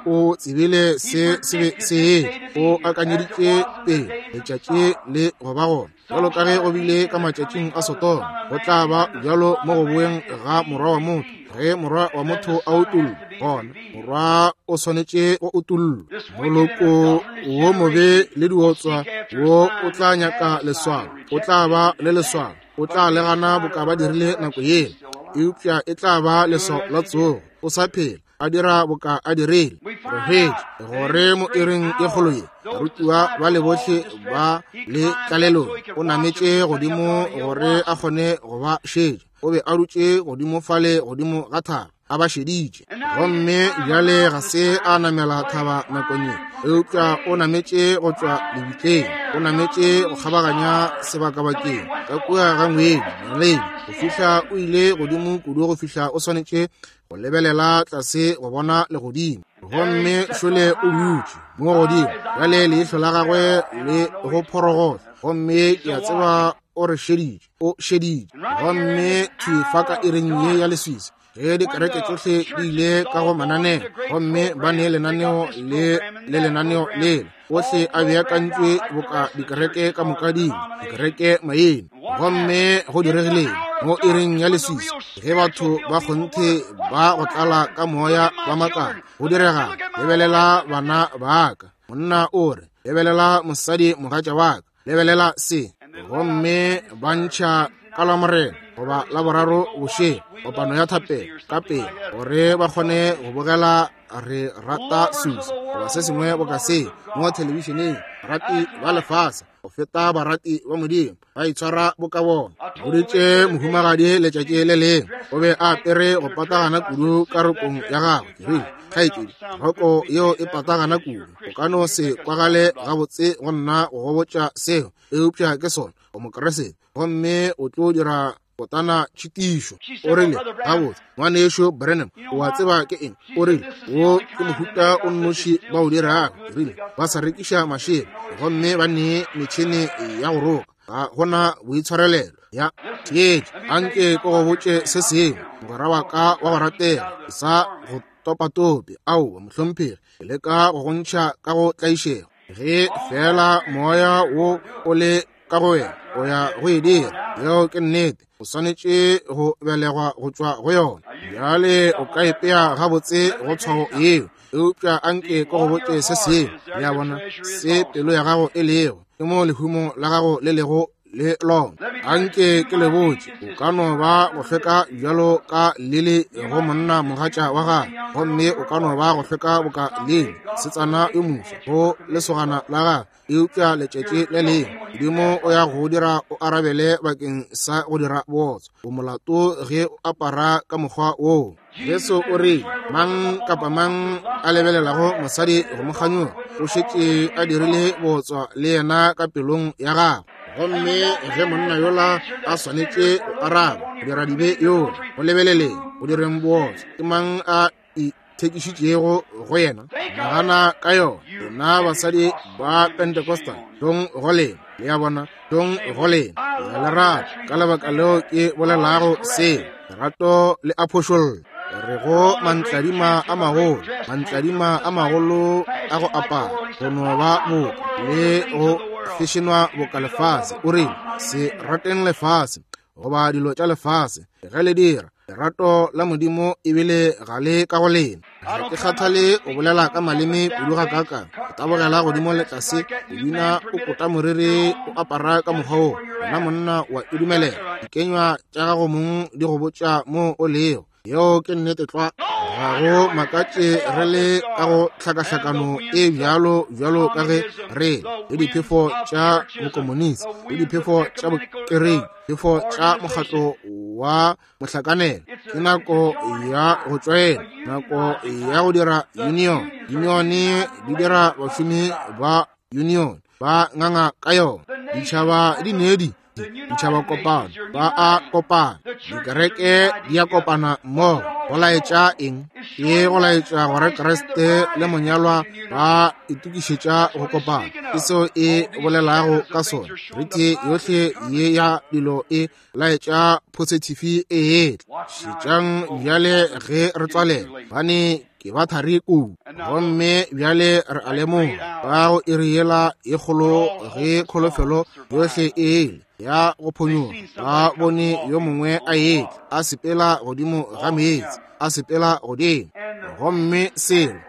o tsebile se se be se etla, o akanyeditše pele letšatši le go ba gona. Bjalo ka ge go bile ka matšatšing a Sodoma, go tla ba bjalo mo go boeng ga Morwa wa motho. Ge Morwa wa motho a utollwa, gona Morwa o swanetše go utollwa. Moloko wo mobe le diotswa wo o tla nyaka leswao, o tla ba le leswao, o tla le gana boka ba dirile nako yela, eupša e tla ba leswao la tsogo. O sa phela, a dira boka a dirile. Re hwetše gore mo iring e kgolo ye, barutiwa ba le bohle ba le tlalelong, o nametše godimo gore a kgone go ba šetša. O be a dutše godimo fale godimo ga thaba a ba šeditše. Gomme bjale ga se a namela thaba nakong ye, eupša o nametše go tšwa lebitleng, o nametše go kgabaganya sebakabakeng ka kua ga ngwedi naledi, go fihla o ile godimo kudu go fihla o swanetše go lebelela tlase go bona legodimo. Gomme šole o dutše mo godimo bjale, leihlo la gagwe le go phorogohlo, gomme ke a tseba o re šeditše, o šeditše. Gomme thwi fa ka iring ye ya leswiswi, ge dikereke tšohle di ile ka go mananeo, gomme ba ne lenaneo le le lenaneo lela, ohle a beakantšwe boka dikereke ka moka dingwe, dikereke maina. Gomme go diregileng mo iring ya leswiswi, ge batho ba kgonthe ba go tlala ka moya ba makala, go direga, lebelela bana ba ka, monna o re, lebelela mosadi mogatša wa ka, lebelela se. Gomme ba ntšha ka la Morena goba Laboraro bošego, kopano ya thapelo ka pele, gore ba kgone go bogela Re Rata Susa goba se sengwe boka se mo thelebišeneng. Barati ba lefase go feta barati ba Modimo ba itshwara boka bona. Boditše mohumagadi letšatši le lengwe, o be a apere go patagana kudu ka rokong ya gagwe. Ke rile, kgaetšedi, roko yeo e patagana kudu, o ka no se kwagale gabotse go nna go go botša seo, eupša ke sona, o Mokriste, gomme o tlo dira kotana tšhitišo. O rile, gabotse, ngwanešu Branham, o a tseba ke eng? O rile, wo ke mohuta o nnoši ba o dirago. Ke rile, ba sa rekiša mašela gomme ba ne metšhene ya go roka, ga gona boitshwarelelo ya theetše. Anke ke go botše se sengwe, mogwera wa ka wa go ratega, ke sa go topatope. Aowa, mohlomphegi, ke leka go go ntšha ka go tlaišego. Ge feela moya wo o le ka go wena, o ya go e dira. Yeo ke nnete. O swanetše go belegwa go tšwa go yona. Bjale o ka ipea gabotse go tshwao yeo, eupša anke ke go botše se sengwe. Le a bona, se pelo ya gago e lego, ke mo lehumo la gago le lego le lona. Anke ke le botše, o ka no ba go hlweka bjalo ka lili go monna mogatša wa gagwe, gomme o ka no ba go hlweka boka lili setsana yo moswa go lesogana la gagwe, eupša letšatši le lengwe Modimo o ya go dira o arabele bakeng sa go dira bootswa. O molato ge o apara ka mokgwa woo. Jesu o re, mang kapa mang a lebelelago mosadi go mo kganyoga, o šetše a dirile bootswa le yena ka pelong ya gagwe. Gomme ge monna yola a swanetše go araba go dira dibe yola, go lebeleleng go direng bootswa, ke mang a ithekišitšego go yena? Nagana ka yona, lena basadi ba Pentecostal, dong go lena. Le a bona, dong go lena. Ke a le rata, ka lebaka leo ke bolelago seo. Lerato le a phošolla. Re go mantladima a magolo, mantladima a magolo a go apara, go no ba boka le go fešenwa boka lefase. O rile, se rateng lefase goba dilo tša lefase. Ge le dira, lerato la Modimo ebile ga le ka go lena. Ga ke kgathale o bolela ka maleme kudu ga kaakang, o tabogela godimo le tlase, o bina, o kota moriri, o apara ka mokgwa wo, wena monna wa e dumelela. Dikenywa tša gago mong di go botša mo o lego. Yeo ke nnete tlwa. Ga go makatše re le ka go hlakahlakano e bjalo bjalo ka ge re le diphefo tša bokomonisi le diphefo tša bokereki, phefo tša mokgatlo wa mohlakanelo. Ke nako ya go tšwela, nako ya go dira union. Unione di dira bašomi ba union ba nganga ka yona. Ditšhaba di ne di ditšhaba kopano, ba a kopana, dikereke di a kopana mmogo. Go laetša eng? Ke go laetša gore Kriste le monyalwa ba itokišetša go kopana. Ke seo e bolelago ka sona. Rite yohle ye ya dilo e laetša phosithifi e etla. Šetšang bjale ge re tswalela, bane ke ba thari kudu. Gomme bjale re a lemoga ka go iri yela ye kgolo ge kholofelo yohle e ile ya go phonyoga, ba bone yo mongwe a etla a sepela godimo ga meetse, a sepela godimo. Gomme selo,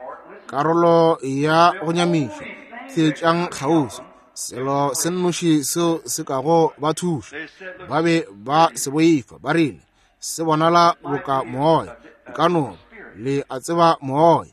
karolo ya go nyamiša, theetšang kgauswi, selo se nnoši seo se kago ba thuša, ba be ba se boifa, ba rile, se bonala boka moya, ka no le a tseba moya.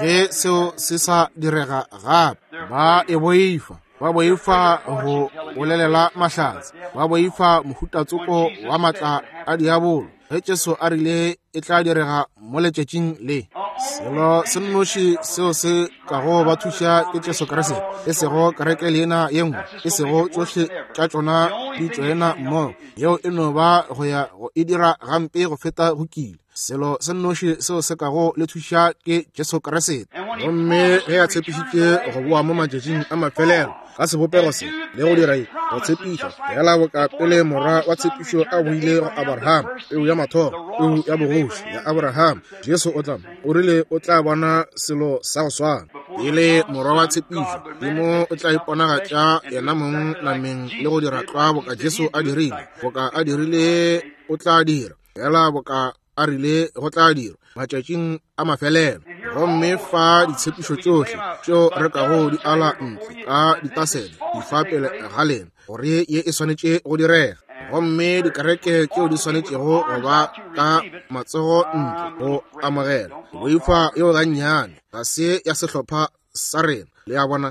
Ge seo se sa direga gape, ba e boifa, ba boifa go bolelela mahlatse, ba boifa mohutatsoko wa matla a diabolo. Ge Jesu a rile e tla direga mo letšatšing le, selo se nnoši seo se kago ba thuša ke Jesu Kriste, e sego kereke leina ye nngwe, e sego tšohle tša tšona di tšoena mmogo. Yeo e no ba go ya go e dira gampe go feta go kile. Selo se nnoši seo se kago le thuša ke Jesu Kriste. Gomme ge a tshepišitše go boa mo matšatšing a mafelelo ka sebopego se le go dira go tshepiša, fela boka pele morwa wa tshepišo a boile go Abraham, peu ya mathomo, peu ya bogoši ya Abraham, Jesu o tla, o rile o tla bona selo sa go swana. Pele morwa wa tshepišo, Modimo o tla iponagatša yena mong nameng le go dira tlwa boka Jesu a dirile, boka a dirile o tla dira, fela boka a rile go tla dirwa matšatšing a mafelelo. Gomme fa ditshepišo tšohle tšeo re kago di ala ntle ka ditasele di fa pele ga lena, gore ye e swanetše go direga. Gomme dikereke tšeo di swanetšego go ba ka matsogo ntle go amogela boifa yeo gannyane ga se ya sehlopha sa rena, le a bona,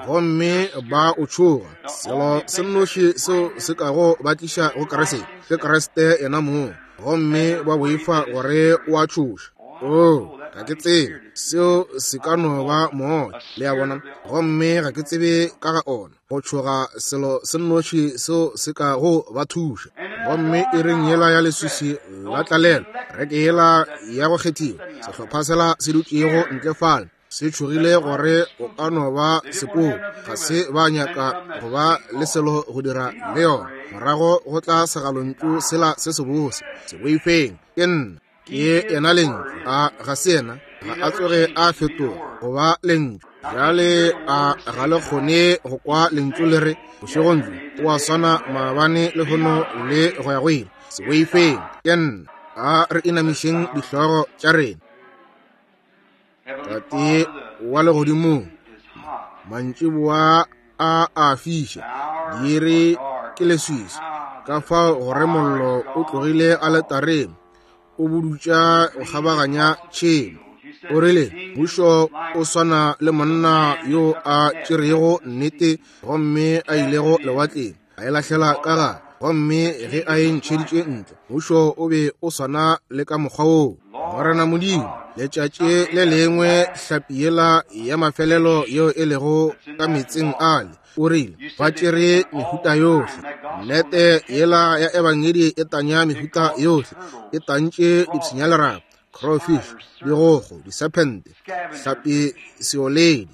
gomme ba o tšhoga. Selo se nnoši seo se kago ba tliša go Kriste ke Kriste yena mong, gomme ba boifa gore o a tšhoša. Oo, ga ke tsebe, seo se ka no ba moya, le a bona, gomme ga ke tsebe ka ga ona. Go tšhoga selo se nnoši seo se ka go ba thuša. Gomme iring yela ya leswiswi la tlalelo, kereke yela ya go kgethiwa, sehlopha sela se dutšego ntle fale, se tšhogile gore o ka no ba sepoko, ga se ba nyaka go ba le selo go dira le yona. Morago go tla segalontšu sela se sebose, se boifeng, ke nna, ke yena Lentšu. A ga se yena? Ga a tsoge a fetoga go ba Lentšu. Bjale a ga le kgone go kwa Lentšu le re bošegong bjo o a swana maabane lehono le go ya go ile? Se boifeng, ke nna. A re inamišeng dihlogo tša rena. Tate wa legodimong, mantšiboa a a fiša, diiri ke leswiswi, ka fao gore mollo o tlogile aletareng, o budutša go kgabaganya tšhemo. O rile, Mmušo o swana le monna yo a tšerego nnete gomme a ilego lewatleng, a e lahlela ka gare, gomme ge a e ntšheditše ntle, mmušo o be o swana le ka mokgwa woo. Morena Modimo, letšatši le lengwe hlapi yela ya mafelelo yeo e lego ka meetseng ale, o rile, ba tšere mehuta yohle. Nnete yela ya Ebangedi e tanya mehuta yohle, e tantše dipshinyalerapo, crawfish, digogo, disephente, hlapi seoledi.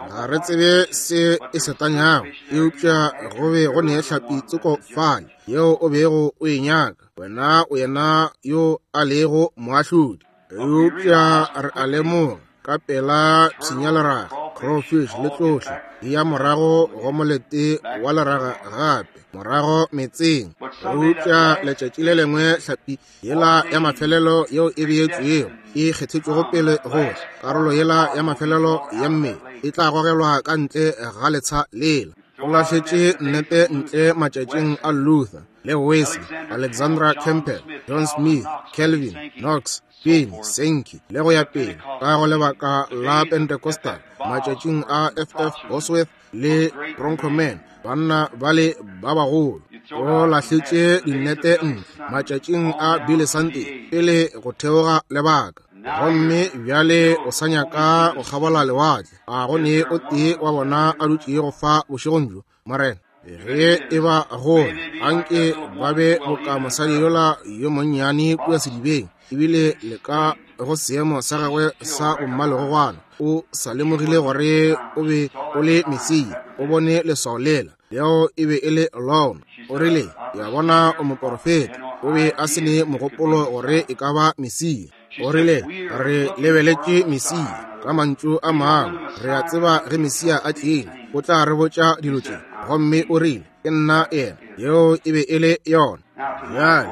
Ga re tsebe se e se tanyago, eupša go be go ne hlapi tsoko fale yeo o bego o e nyaka. Wena o yena yo a lego moahlodi. Eupša re a lemoga ka pela pshinyaleraga, crawfish le tlohle di ya morago go molete wa leraga gape, morago metseng. Eupša letšatši le lengwe hlapi yela ya mafelelo yeo e beetšwego e kgethetšwego pele go karolo yela ya mafelelo ya mmele e tla gogelwa ka ntle ga letsha lela. Go lahletše nnete ntle matšatšing a Luther le Wesley, Alexandra Campbell, John Smith, Calvin, Knox, Finney, Sankey le go ya pele ka go lebaka la Pentecostal, matšatšing a F.F. Bosworth le Broncoman, banna bale ba bagolo. O lahletše dinnete ntle matšatšing a Billy Sunday pele go theoga lebaka, gomme bjale o sa nyaka go kgabola lewatle. A go ne o tee wa bona a dutšego fa bošegong bjo, Morena? Ge e ba gona, anke ba be boka mosadi yola yo monnyane kua sedibeng, ebile le ka go seemo sa gagwe sa bommalegogwana o sa lemogile gore o be o le Mesia. O bone leswao lela, leo e be e le lona. O rile, ya bona o moporofeta. O be a se ne mogopolo gore e ka ba Mesia. O rile, re lebeletše Mesia. Ka mantšu a mangwe, re a tseba ge Mesia a tlile, o tla re botša dilo tše. Gomme o rile, ke nna yena. Yeo e be e le yona. Bjale,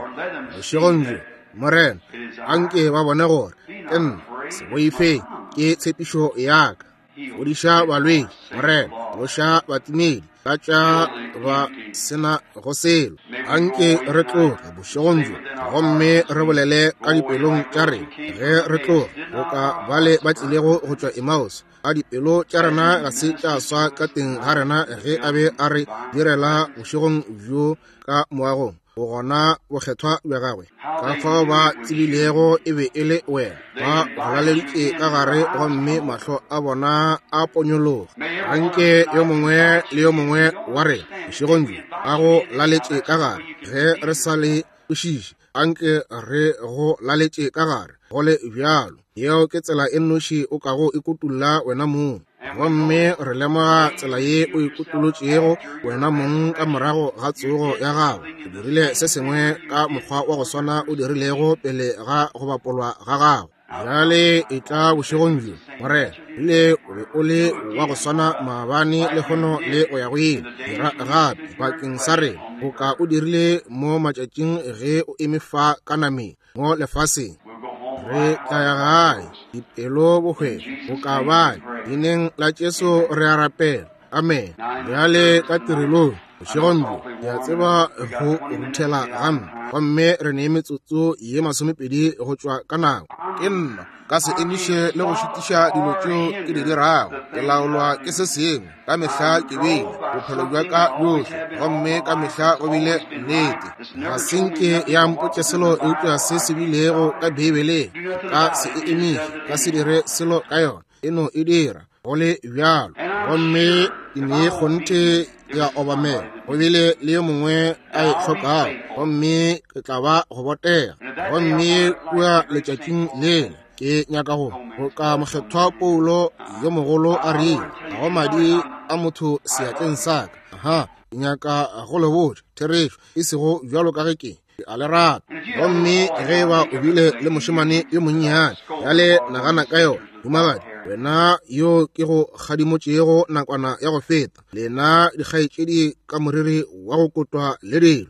bošegong bjo, Morena, anke ba bone gore ke nna, se boifeng, ke tshepišo ya ka. Fodiša balwetši, Morena, tloša batimedi, tlatša ba sena go selo. Anke re tloge bošegong bjo gomme re bolele ka dipelong tša rena ge re tloga, boka bale ba tlilego go tšwa Emmaus. A dipelo tša rena ga se tša swa ka teng ga rena ge a be a re direla bošegong bjo ka moagong bogona bokgethwa bja gagwe? Ka fao ba tsebilego e be e le wena, ba go laleditše ka gare gomme mahlo a bona a ponyologa. Anke yo mongwe le yo mongwe wa rena bošegong bjo a go laletše ka gare ge re sa le kwešiše. Anke re go laletše ka gare go le bjalo. Yeo ke tsela e nnoši o kago ikutulla wena mong. Gomme re lemoga tsela ye o ikutulotšego wena mong ka morago ga tsogo ya gago. O dirile se sengwe ka mokgwa wa go swana o dirilego pele ga go bapolwa ga gago. Bjale e tla bošegong bjo, Morena, rile o be o le wa go swana maabane, lehono le go ya go ile. Dira gape bakeng sa rena boka o dirile mo matšatšing ge o eme fa ka nameng mo lefaseng. Re tla ya gae dipelo bohwefo boka bale. Leineng la Jesu re a rapela. Amen. Bjale ka tirelong. Bošegong bjo, ke a tseba go ruthela gampe, gomme re ne metsotso ye 20 go tšwa ka nako. Ke nna ka se emiše le go šitiša dilo tšeo ke di dirago. Ke laolwa ke se sengwe. Ka mehla ke bile bophelo bja ka bjohle, gomme ka mehla go bile nnete. Ga se nke ya mpotše selo eupša se se bilego ka Beibeleng. Ka se e emiše, ka se dire selo ka yona. E no e dira go le bjalo. Gomme ke ne kgonthe ya obamela. Go bile le yo mongwe a e hlokago, gomme ke tla ba go botega. Gomme kua letšatšing lela ke nyaka go ka mokgethwa Paulo yo mogolo a rile, ga go madi a motho seatleng sa ka. Aha, ke nyaka go le botša therešo, e sego bjalo ka ge ke a le rata. Gomme ge e ba o bile le mošemane yo monnyane, bjale nagana ka yona, humagadi, wena yo ke go kgadimotšego nakwana ya go feta, lena dikgaetšedi ka moriri wa go kotwa le dilo.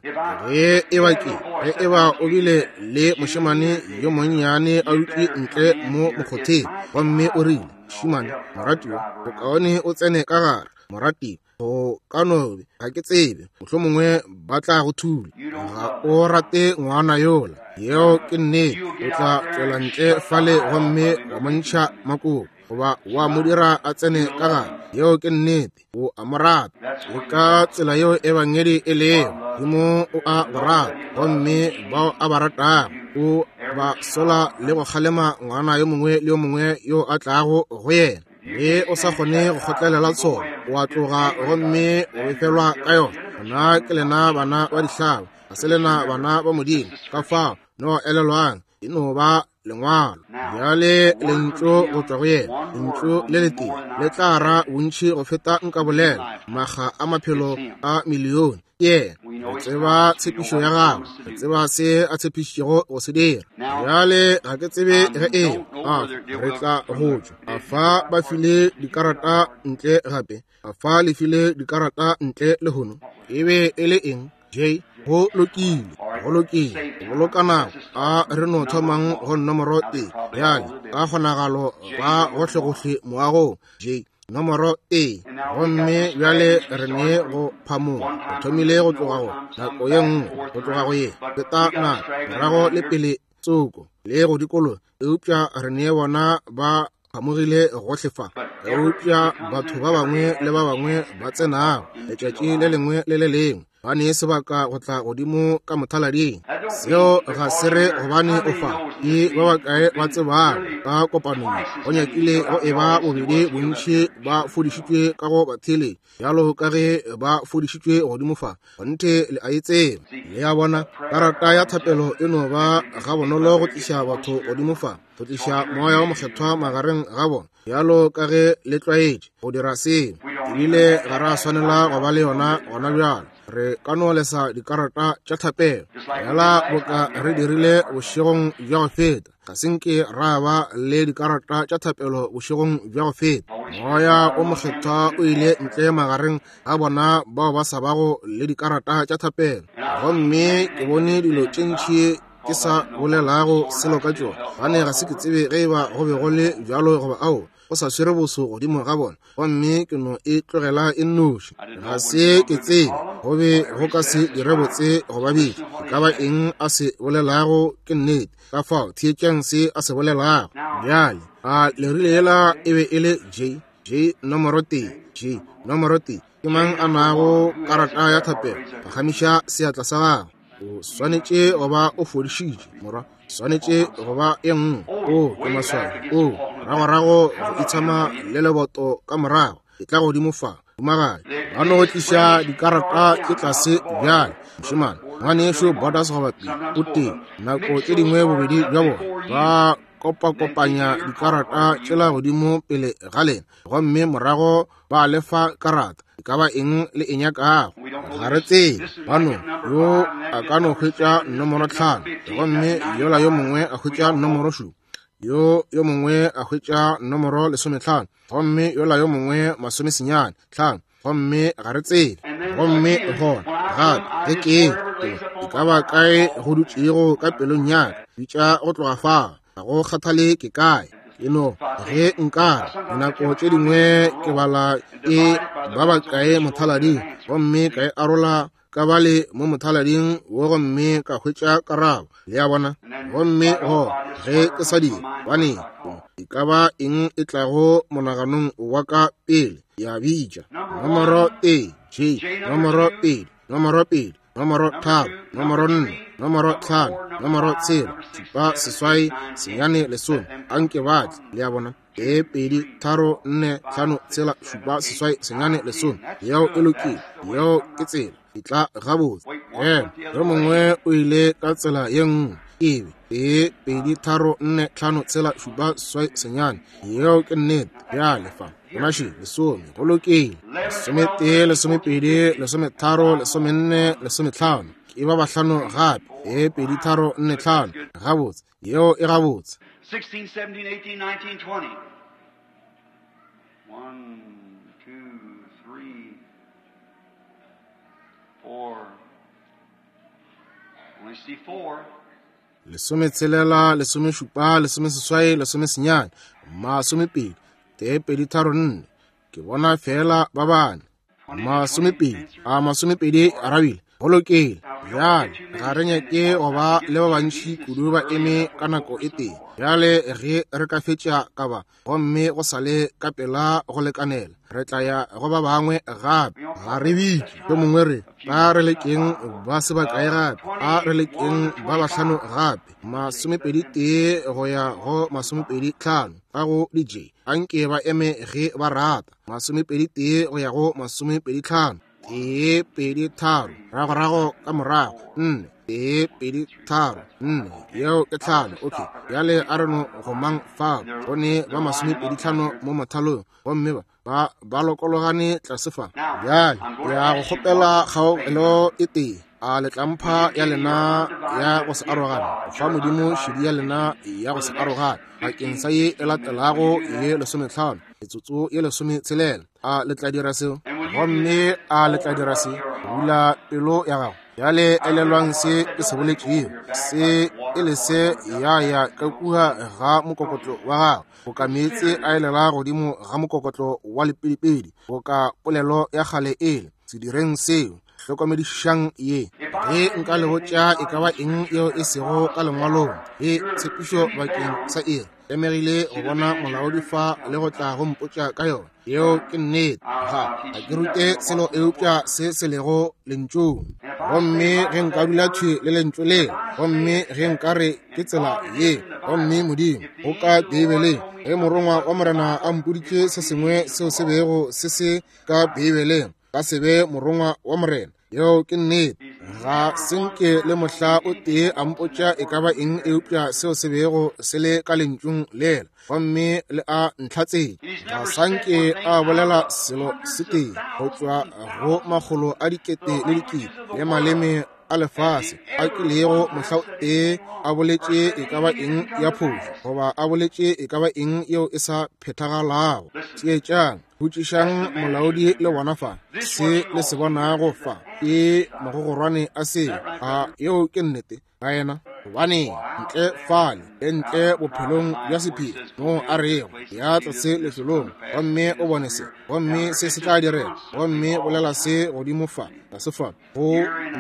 Ge e ba ke, ge e ba o bile le mošemane yo monnyane a dutše ntle mo mokgotheng, gomme o rile, mošemane, moratiwa, bokaone o tsene ka gare, moratiwa, go ka no be, ga ke tsebe, mohlomongwe ba tla go thula. Ga o rate ngwana yola, yeo ke nnete. O tla tšwela ntle fale gomme wa mo ntšha makoko, goba wa mo dira a tsene ka gare. Yeo ke nnete, o a mo rata. Le ka tsela yeo ebangedi e lego, Modimo o a go rata, gomme bao a ba ratago o ba sola le go kgalema ngwana yo mongwe le yo mongwe yo a tlago go yena. Ge o sa kgone go kgotlelela tsholo, o a tloga gomme o befelwa ka yona. Gona ke lena bana ba dihlaba, ga se lena bana ba Modimo. Ka fao, no elelwang, e no ba lengwalo. Bjale lentšu go tšwa go yena, lentšu le letee le tla ra bontši go feta nka bolela makga a maphelo a milione. Ke yena. Re tseba tshepišo ya gagwe, re tseba se a tshepišitšego go se dira. Bjale ga ke tsebe ge e a re tla go tšwa. A fa ba file dikarata ntle gape? A fa le file dikarata ntle lehono? E be e le eng? J. Go lokile, go lokile. Boloka nako. A re no thomang go nomoro tee. Bjale ka kgonagalo ba gohlegohle moagong. J. Nomoro tee. Gomme bjale re ne go phamoga. Re thomile go tloga go nako ye nngwe, go tloga go ye feta nako, morago le pele tsoko le go dikologa, eupša re ne bona ba phamogile gohle fa. Eupša batho ba bangwe le ba bangwe ba tsenago letšatši le lengwe le le lengwe ba ne sebaka go tla godimo ka mothalading. Seo ga se re gobane o fa. Ke ba bakae ba tsebago ka kopanong go nyakile go e ba bobedi bontši ba fodišitšwe ka go batheeletši bjalo ka ge ba fodišitšwe godimo fa. Kgonthe le a e tseba. Le a bona, karata ya thapelo e no ba gabonolo go tliša batho godimo fa, go tliša Moya wo Mokgethwa magareng ga bona, bjalo ka ge le tlwaetše go dira seo. Ebile ga ra swanela go ba le yona gona bjalo. Re ka no lesa dikarata tša thapelo bjala boka re dirile bošegong bja go feta. Ga se nke ra ba le dikarata tša thapelo bošegong bja go feta. Moya o Mokgethwa o ile ntle magareng ga bona bao ba sa bago le dikarata tša thapelo. Gomme ke bone dilo tše ntši ke sa bolelago selo ka tšona, gobane ga se ke tsebe ge e ba go be go le bjalo goba aowa. Go sa swere boso godimo ga bona, gomme ke no e tlogela e nnoši. Ga se ke tsebe go be go ka se dire botse go ba bitša. E ka ba eng a se bolelago ke nnete. Ka fao theetšang se a se bolelago. Bjale, a le rile yela e be e le J, J nomoro tee, J nomoro tee. Ke mang a nago karata ya thapelo? Phagamiša seatla sa gago. O swanetše go ba o fodišitše, morwa. Swanetše go ba e nngwe. O ke maswao. O ragorago go itshama le leboto ka morago. E tla godimo fa, humagadi. Ba no tliša dikarata tše tlase bjale. Mošemane, ngwanešu Borders goba Pele, o tee. Nako tše dingwe bobedi bja bona ba kopakopanya dikarata tšela godimo pele ga lena, gomme morago ba lefa karata e ka ba eng le e nyakago. Ga re tsebe. Bano yo a ka no hwetša nomoro 5, gomme yola yo mongwe a hwetša nomoro 7, yo yo mongwe a hwetša nomoro 15, gomme yola yo mongwe 95, gomme ga re tsebe. Gomme gona gape ge ke e ka ba kae go dutšego ka pelong ya ka, bitša go tloga fao, ga go kgathale ke kae. E no ge nkare dinako tše dingwe ke bala e ba bakae mothalading, gomme ka e arola ka bale mo mothalading wo gomme ka hwetša karabo. Le a bona? Gomme go ge ke sa dira, bane e ka ba eng e tlago monaganong wa ka pele, ya bitša nomoro A, J, nomoro 2, nomoro 2, nomoro 3, nomoro 4, nomoro 5, nomoro 6, 7, 8, 9, 10. Anke ba tle. Le a bona? 1, 2, 3, 4, 5, 6, 7, 8, 9, 10. Yeo e lokile. Yeo ke tsela. E tla gabotse. Yo mongwe o ile ka tsela ye nngwe. Ebe 1, 2, 3, 4, 5, 6, 7, 8, 9. Yeo ke nnete. Bjale fa. Bonaše, 10. Go lokile. 11, 12, 13, 14, 15. Ke ba bahlano gape. 1, 2, 3, 4, 5. Gabotse. Yeo e gabotse. 16, 17, 18, 19, 20. 1, 2, 3, 4. Only see 4. 16, 17, 18, 19, 20, 1, 2, 3, 4. Ke bona fela ba bane. 20, a 20 arabile. Go lokile. Bjale ga re nyake go ba le ba bantši kudu ba eme ka nako e tee. Bjale ge re ka fetša ka ba, gomme go sa le ka pela go lekanela, re tla ya go ba bangwe gape. Ga re bitše yo mongwe re ba re lekeng ba se bakae gape, a re lekeng ba bahlano gape, 21 go ya go 25 ka go DJ. Anke ba eme ge ba rata, 21 go ya go 25. 1, 2, 3, ragorago ka morago, 4, 1, 2, 3, 4, yeo ke 5. Okay, bjale a re no go mang fao, go ne ba 25 mo mothalong, gomme ba ba lokologane tlase fa. Bjale ya go kgopela kgaogelo e tee. A le tlampha ya lena ya go se arogane, go fa Modimo šedi ya lena ya go se arogane bakeng sa ye e latelago ye 15, metsotso ye 16. A le tla dira seo? Gomme a le tla dira se? Bula pelo ya gago. Bjale elelwang se ke se boletšego, se e le se ya ya ka kua ga mokokotlo wa gago, boka meetse a elela godimo ga mokokotlo wa lepidipidi, boka polelo ya kgale ele. Se direng seo. Hlokomedišang ye. Ge nka le botša e ka ba eng yeo e sego ka lengwalong, e tshepišo bakeng sa iri, tlemegile go bona molaodi fa le go tla go mpotša ka yona. Yeo ke nnete. Ga ke rute selo eupša se se lego lentšung. Gomme ge nka dula thwi le lentšu le, gomme ge nka re ke tsela ye, gomme Modimo go ka Beibeleng, ge morongwa wa Morena a mpoditše se sengwe seo se bego se se ka Beibeleng, ka se be morongwa wa Morena. Yeo ke nnete. Ga se nke le mohla o tee a mpotša e ka ba eng eupša seo se bego se le ka lentšung lela, gomme le a ntlhatsetša. Ga sa nke a bolela selo se tee go tšwa go makgolo a dikete le dikete le maleme a lefase a kilego mohla o tee a boletše e ka ba eng ya phošo goba a boletše e ka ba eng yeo e sa phethagalago. Theetšang, botšišang molaodi le bona fa se le se bonago fa ke mogogorwane a se a. Yeo ke nnete ga yena, gobane ntle fale le ntle bophelong bja sephiri moo a rego ya tlase lefelong, gomme o bone se, gomme se se tla direga, gomme bolela se godimo fa tlase fa, go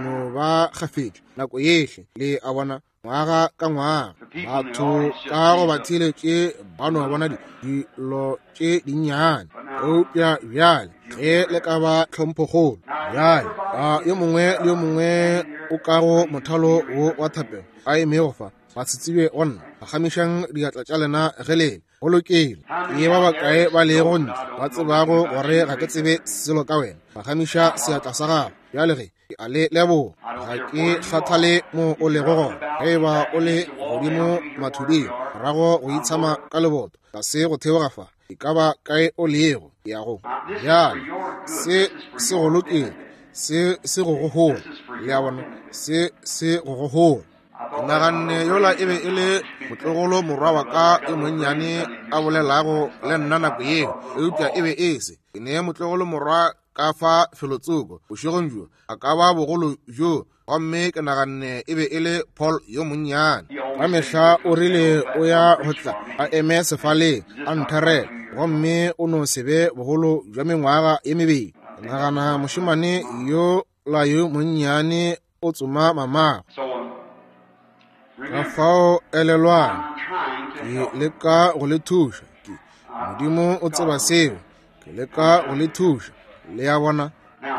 no ba kgafetšo nako yehle. Le a bona, ngwaga ka ngwaga batho ka go ba theeletše ba no bona dilo tše dinnyane. Eupša bjale ge le ka ba tlhomphokgolo, bjale a yo mongwe le yo mongwe o ka go mothalo wo wa thapelo a emego fa, ba se tsebe go nna, phagamišang diatla tša lena ge lele. Go lokile. Ke ba bakae ba lego ntle ba tsebago gore ga ke tsebe selo ka wena? Phagamiša seatla sa gago. Bjale ge ke a le leboga, ga ke kgathale mo o lego gona. Ge e ba o le godimo mathuding, morago go itshama ka leboto, tlase go theoga fa, e ka ba kae o lego, ya go. Bjale se se go lokile, se se go go hola. Le a bona, se se go go hola. Ke naganne yola e be e le motlogolo morwa wa ka yo monnyane a bolelago le nna nako yeo, eupša e be e se. Ke ne motlogolo morwa ka fa felotsoko bošegong bjo, a ka ba bogolo bjo, gomme ke naganne e be e le Paul yo monnyane. Ka mehla o rile o ya go tla a eme sefaleng a ntherela, gomme o no se be bogolo bja mengwaga ye mebedi. Ke nagana mošemane yo la yo monnyane o tsoma mamago. Ka fao elelwang, ke leka go le thuša. Ke Modimo o tseba seo. Ke leka go le thuša. Le a bona?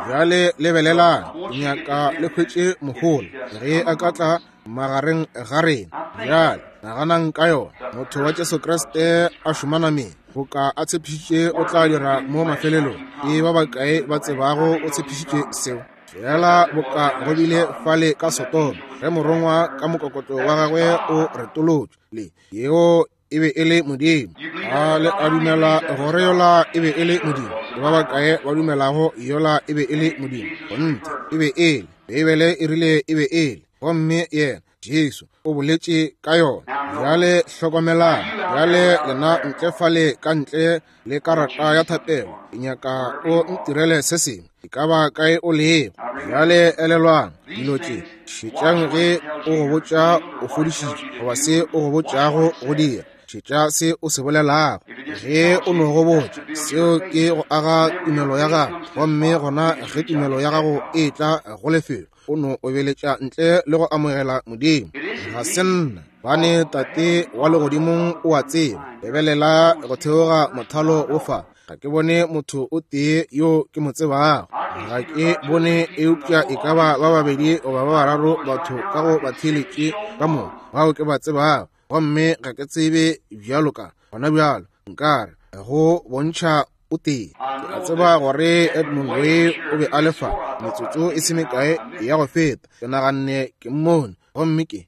Bjale lebelelang, ke nyaka le hwetše mohola ge a ka tla magareng ga rena. Bjale naganang ka yona. Motho wa Jesu Kriste a šoma nameng, boka a tshepišitše o tla dira mo mafelelong. Ke ba bakae ba tsebago o tshepišitše seo? Fela boka go bile fale ka Sodoma, ge morongwa ka mokokotlo wa gagwe o retolotšwe, le yeo e be e le Modimo. A le a dumela gore yola e be e le Modimo? Ke ba bakae ba dumelago yola e be e le Modimo? Kgonthe, e be e le. Beibele e rile e be e le. Gomme yena Jesu o boletše ka yona. Bjale hlokomelang. Bjale lena ntle fale ka ntle le karata ya thapelo, ke nyaka o ntirele se sengwe. E ka ba kae o lego. Bjale elelwang dilo tše. Šetšang ge o go botša o fodišitšwe, goba se o go botšago go dira. Šetša se o se bolelago. Ge o no go botša, seo ke go aga tumelo ya gago. Gomme gona ge tumelo ya gago e tla go lefelo, o no obeletša ntle le go amogela Modimo. Ga se nna, bane Tate wa legodimong o a tseba. Lebelela go theoga mothalo wo fa. Ga ke bone motho o tee yo ke mo tsebago. Ga ke bone eupša e ka ba ba babedi goba ba bararo batho ka go batheeletše ka mo bao ke ba tsebago. Gomme ga ke tsebe bjalo ka gona bjalo nkare go bontšha o tee. Ke a tseba gore Edmund Way o be a le fa metsotso e se mekae ya go feta. Ke naganne ke mmone, gomme ke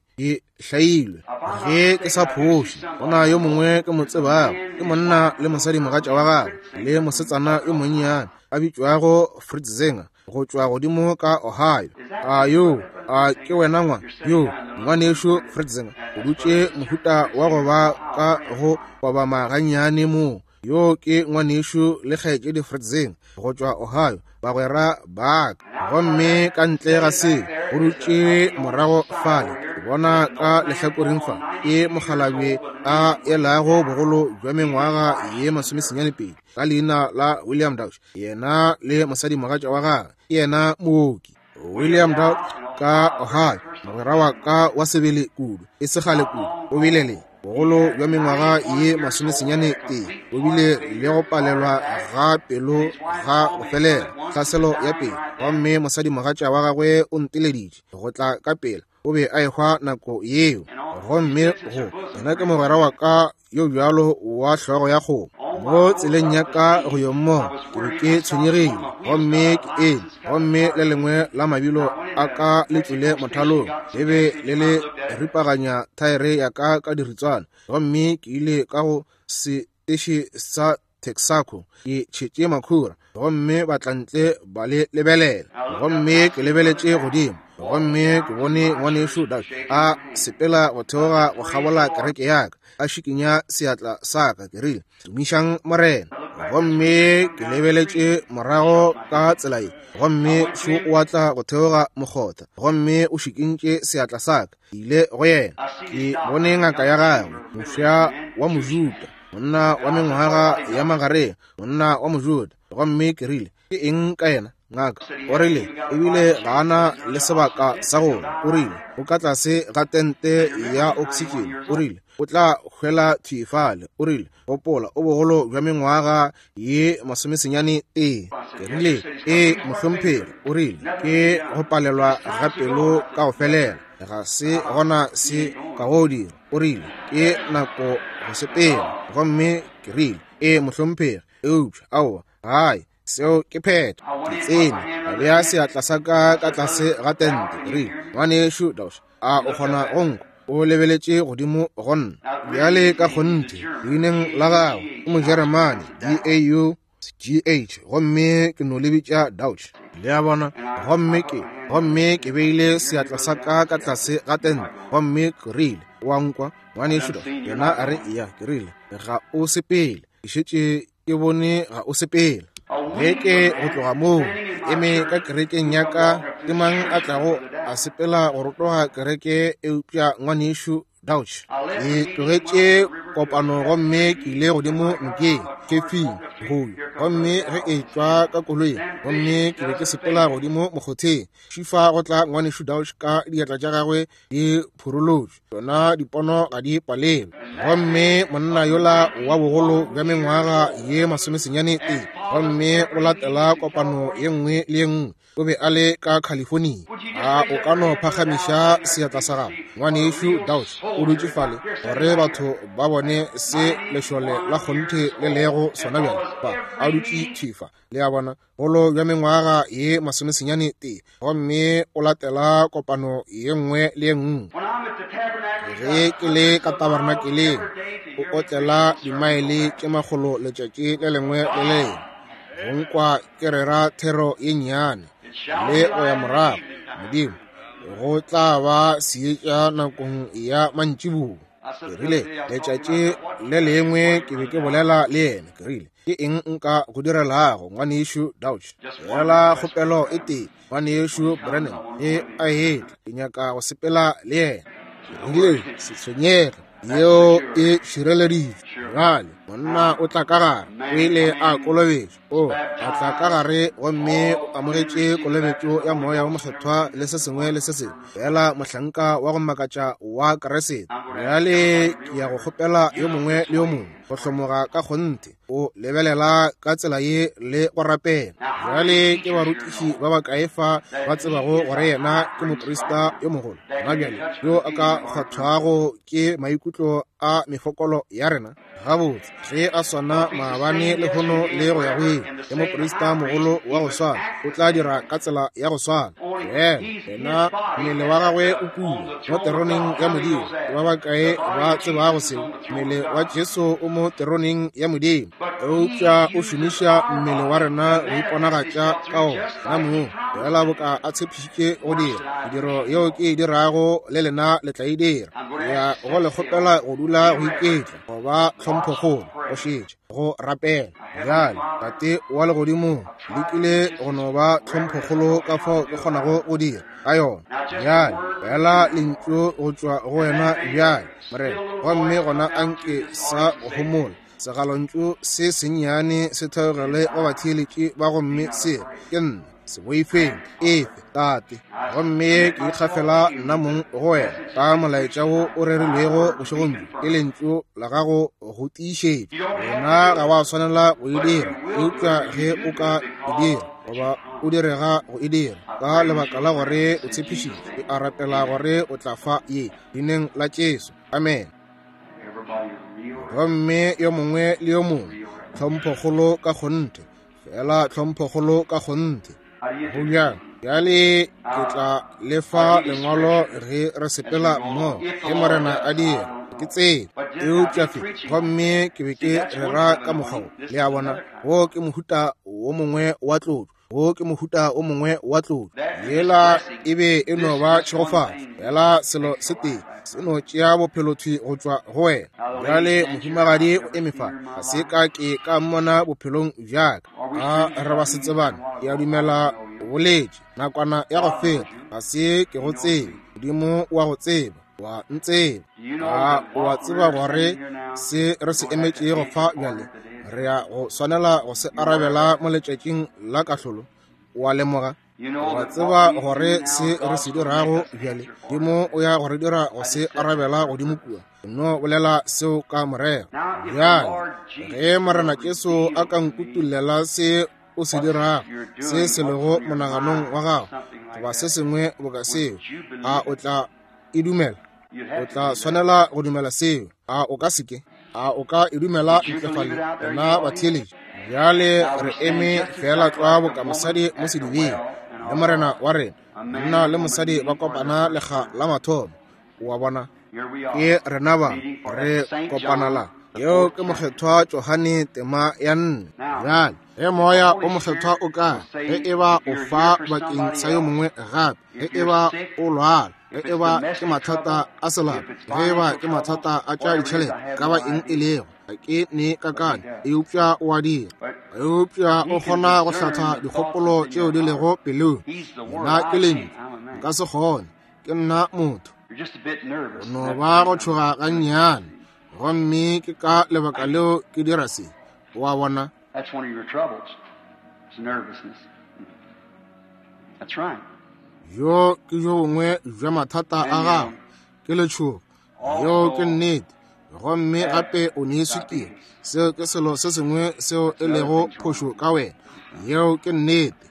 hlailwe. Ge ke sa phoše, go na yo mongwe ke mo tsebago, ke monna le mosadimogatša wa gagwe le mosetsana yo monnyane a bitšwago Fritz Zenger go tšwa godimo ka Ohio. A yo a ke wena ngwa yo ngwanešu Fritz Zenger o dutše mohuta wa go ba ka go kobama gannyane mo. Yo ke ngwanešu le kgaetšedi Fritz Zenger go tšwa Ohio, bagwera ba ka. Gomme ka ntle ga seo, go dutše morago fale, ke bona ka lehlakoreng fa, ke mokgalabje a elago bogolo bja mengwaga ye 92, ka leina la William Dauch. Yena le mosadimogatša wa gagwe, ke yena mooki. William Dauch ka Ohio, mogwera wa ka wa sebele kudu, e se kgale kudu, o bile le bogolo bja mengwaga ye 91, o bile le go palelwa ga pelo ga go felela, tlhaselo ya pelo. Gomme mosadimogatša wa gagwe o nteleditše go tla ka pela, o be a ehwa nako yeo. Gomme go yena ke mogwera wa ka yo bjalo wa hlogo ya kgomo. Mo tseleng ya ka go yo mmona, ke be ke tshwenyegile, gomme ke eme, gomme le lengwe la mabilo a ka le tšwele mothalong, le be le le ripaganya thaere ya ka ka diritswana, gomme ke ile ka go seteše sa Texaco, ke tšhetše makhura, gomme batlantle ba le lebelela. Gomme ke lebeletše godimo, gomme ke bone ngwanešu Doug a sepela go theoga go kgabola kereke ya ka, a šikinya seatla sa ka. Ke rile, Tumišang Morena. Gomme ke lebeletše morago ka tsela ye, gomme šo o a tla go theoga mokgotha, gomme o šikintše seatla sa ka. Ke ile go yena, ke bone ngaka ya gagwe, mofsa wa Mojuda, monna wa mengwaga ya magareng, monna wa Mojuda. Gomme ke rile, Ke eng ka yena, ngaka? O rile, Ebile ga a na le sebaka sa go. O rile, O ka tlase ga tente ya oksitšene. O rile, O tla hwela thwi fale. O rile, Gopola, o bogolo bja mengwaga ye 91. Ke rile, Ee, mohlomphegi. O rile, Ke go palelwa ga pelo ka go felela. Ga se gona se ka go dira. O rile, Ke nako go sepela. Gomme ke rile, Ee, mohlomphegi, eupša aowa, gae, seo ke phetho. Ke tsene, ka bea seatla sa ka ka tlase ga tente. Ke rile, Ngwanešu Dauch, a o kgona go nkwa? O lebeletše godimo go nna. Bjale ka kgonthe, leineng la gagwe ke Mojeremane, D-A-U-G-H, gomme ke no le bitša Dauch. Le a bona? Gomme ke beile seatla sa ka ka tlase ga tente, gomme ke rile, O a nkwa, ngwanešu Dauch? Yena a re, Eya. Ke rile, Ga o sepele. Ke šetše ke bone ga o sepela. Beke go tloga moo, eme ka kerekeng ya ka, ke mang a tlago a sepela go rotoga kereke eupša ngwanešu Dauch. Ke tlogetše kopano gomme ke ile godimo nokeng, kefing, goyo. Gomme ge e tšwa ka koloing, gomme ke be ke sepela godimo mokgotheng, šifa go tla ngwanešu Dauch ka diatla tša gagwe di phurolotšwe. Tšona dipono ga di palelwe. Gomme monna yola wa bogolo bja mengwaga ye 94, gomme o latela kopano ye nngwe le ye nngwe. O be a le ka California. A o ka no phagamiša seatla sa gago, ngwanešu Dauch? O dutše fale gore batho ba bone se lešole la kgonthe le lego sona bjale. Ba a dutše thifa, le a bona, bogolo bja mengwaga ye 94, gomme o latela kopano ye nngwe le ye nngwe. Ge ke le ka tabernakeleng, o otlela dimaele tše 100 letšatši le lengwe le lengwe. Go nkwa ke rera thero ye nnyane le go ya morago, Modimo, go tla ba seetša nakong ya mantšiboa. Ke rile, letšatši le lengwe ke be ke bolela le yena, ke rile, ke eng nka go direlago, ngwanešu Dauch? Fela kgopelo e tee, ngwanešu Branham e a etla, ke nyaka go sepela le yena. Ke rile, se tshwenyege, yeo e šireleditšwe. Bjale monna o tla ka gare, o ile a kolobetšwa, o a tla ka gare gomme o amogetše kolobetšo ya Moya wo Mokgethwa le se sengwe le se sengwe, fela mohlanka wa go makatša wa Kriste. Bjale ke ya go kgopela yo mongwe le yo mongwe go hlomoga ka kgonthe, o lebelela ka tsela ye le go rapela. Bjale ke barutiši ba bakae fa ba tsebago gore yena ke moprista yo mogolo gona bjale, yo a ka kgwathwago ke maikutlo a mefokolo ya rena? Gabotse, ge a swana maabane lehono le go ya go ile, ke moprista mogolo wa go swana, o tla dira ka tsela ya go swana. Yena mmele wa gagwe o kula mo teroneng ya Modimo. Ke ba bakae ba tsebago seo? Mmele wa Jesu o mo teroneng ya Modimo, eupša o šomiša mmele wa rena go iponagatša ka ona na mong, fela boka a tshepišitše go dira. Mediro yeo ke e dirago le lena le tla e dira. Ke ya go le kgopela go dula go iketla, go ba tlhomphokgolo, go šetša, go rapela. Bjale, Tate wa legodimong, lekile go no ba tlhomphokgolo ka fao ke kgonago go dira ka yona. Bjale, fela lentšu go tšwa go wena bjale, Morena, gomme gona anke sa go homola segalontšu se sennyane se theogele go batheeletši ba, gomme se re, ke nna, se boifeng, efe, Tate. Gomme ke ikgafela nna mong go wena ka molaetša wo o rerilwego bošegong bjo, ke lentšu la gago go tiišetša. Wena ga wa swanela go e dira, eupša ge o ka e dira, goba o direga go e dira, ka lebaka la gore o tshepišitše, ke a rapela gore o tla fa ye, leineng la Jesu. Amen. Gomme yo mongwe le yo mongwe, tlhomphokgolo ka kgonthe, fela tlhomphokgolo ka kgonthe. Go bjang? Bjale ke tla le fa lengwalo ge re sepela mmogo, ge Morena a dira. Ke tsebe, eupša fe, gomme ke be ke rera ka mokgwa wo. Le a bona, wo ke mohuta wo mongwe wa tlotšo, wo ke mohuta o mongwe wa tlotšo. Yela e be e no ba tšhegofatšo, fela selo se tee se no tšea bophelo thwi go tšwa go wena. Bjale mohumagadi o eme fa, ga se ka ke ka mmona bophelong bja ka. A re ba se tsebane? Ke a dumela o boletše nakwana ya go feta, ga se ke go tsebe. Modimo wa go tseba, wa ntseba. A o a tseba gore se re se emetšego fa bjale, re ya go swanela go se arabela mo letšatšing la kahlolo? O a lemoga? Wa tseba gore se re se dirago bjale, Modimo o ya go re dira go se arabela godimo kua. No bolela seo ka morero. Bjale, ge Morena Jesu a ka nkutullela se o se dirago, se se lego monaganong wa gago, goba se sengwe boka seo, a o tla e dumela? O tla swanela go dumela seo. A o ka se ke? A o ka e dumela ntle fale, lena batheeletši? Bjale re eme feela tlwa boka mosadi mo sedibeng le Morena wa rena. Monna le mosadi ba kopana lekga la mathomo. O a bona? Ke rena ba re kopana la. Yeo ke Mokgethwa Johane tema ya 4. Bjale, ge Moya o Mokgethwa o ka, ge e ba o fa bakeng sa yo mongwe gape, ge e ba o lwala, ge e ba ke mathata a selapa, ge e ba ke mathata a tša ditšhelete, ka ba eng e lego, ga ke ne kakanyo, eupša o a dira. Eupša o kgona go hlatha dikgopolo tšeo di lego pelong. Nna ke lentšu, nka se kgone, ke nna motho. O no ba go tšhoga gannyane, gomme ke ka lebaka leo ke dira se. O a bona? That's one of your troubles. It's nervousness. That's right. Yo ke jo bongwe bja mathata a gago, ke letšhogo. Yeo ke nnete. Gomme gape o ne swikiri. Seo ke selo se sengwe seo e lego phošo ka wena. Yeo ke nnete.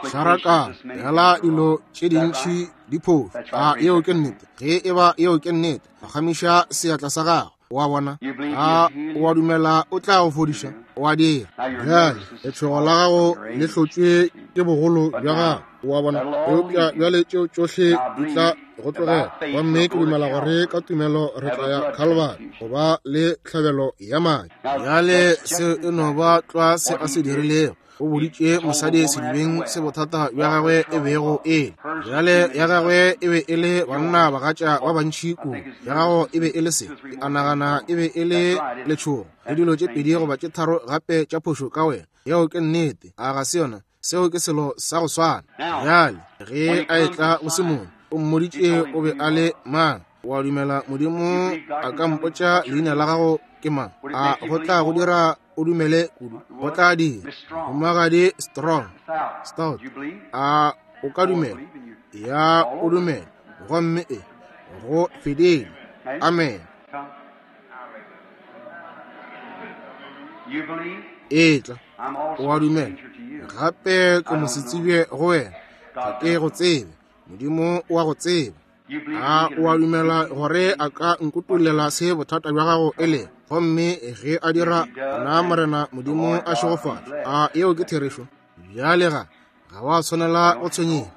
Tšharakano, hela dilo tše dintši di phošo. A yeo ke nnete? Ge e ba yeo ke nnete, phagamiša seatla sa gago. O a bona? A o a dumela o tla go fodiša? O a dira. Bjale, letšhogo la gago le hlotšwe ke bogolo bja gago. O a bona? Eupša bjale tšeo tšohle di tla go tlogela. Gomme ke dumela gore ka tumelo re tla ya Calvary go ba le tlhabelo ya madi. Bjale seo e no ba tlwa se a se dirilego. O boditše mosadi sedibeng se bothata bja gagwe e bego e le. Bjale ya gagwe e be e le banna bagatša ba bantši kudu. Ya gago e be e le se, ke a nagana e be e le letšhogo le dilo tše pedi goba tše tharo gape tša phošo ka wena. Yeo ke nnete, a ga se yona? Seo ke selo sa go swana. Bjale ge a etla go Simone, o mmoditše o be a le mang. O a dumela Modimo a ka mpotša leina la gago ke mang? A go tla go dira o dumele kudu? Go tla dira. Mohumagadi Strong, Stout, a o ka dumela? Ya, o dumela. Gomme e go fedile. Amen. Etla, o a dumela. Gape ke mosetsebje go wena. Ga ke go tsebe. Modimo o a go tseba. A o a dumela gore a ka nkutollela se bothata bja gago e lego? Gomme ge a dira, gona Morena Modimo a šegofatše. A yeo ke therešo? Bjale ga, ga wa tshwanela go tshwenyega.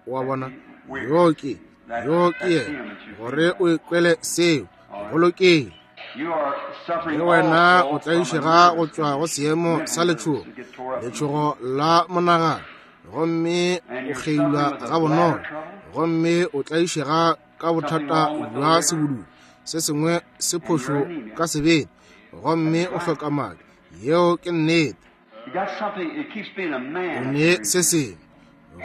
O a bona? Yo ke, yo ke yena, gore o ikwele seo. Go lokile. Le wena o tlaišega go tšwa go seemo sa letšhogo, letšhogo la monagano, gomme o kgeilwa gabonolo, gomme o tlaišega ka bothata bja sebudulo, se sengwe se phošo ka sebete, gomme o hloka madi. Yeo ke nnete. O ne se sengwe,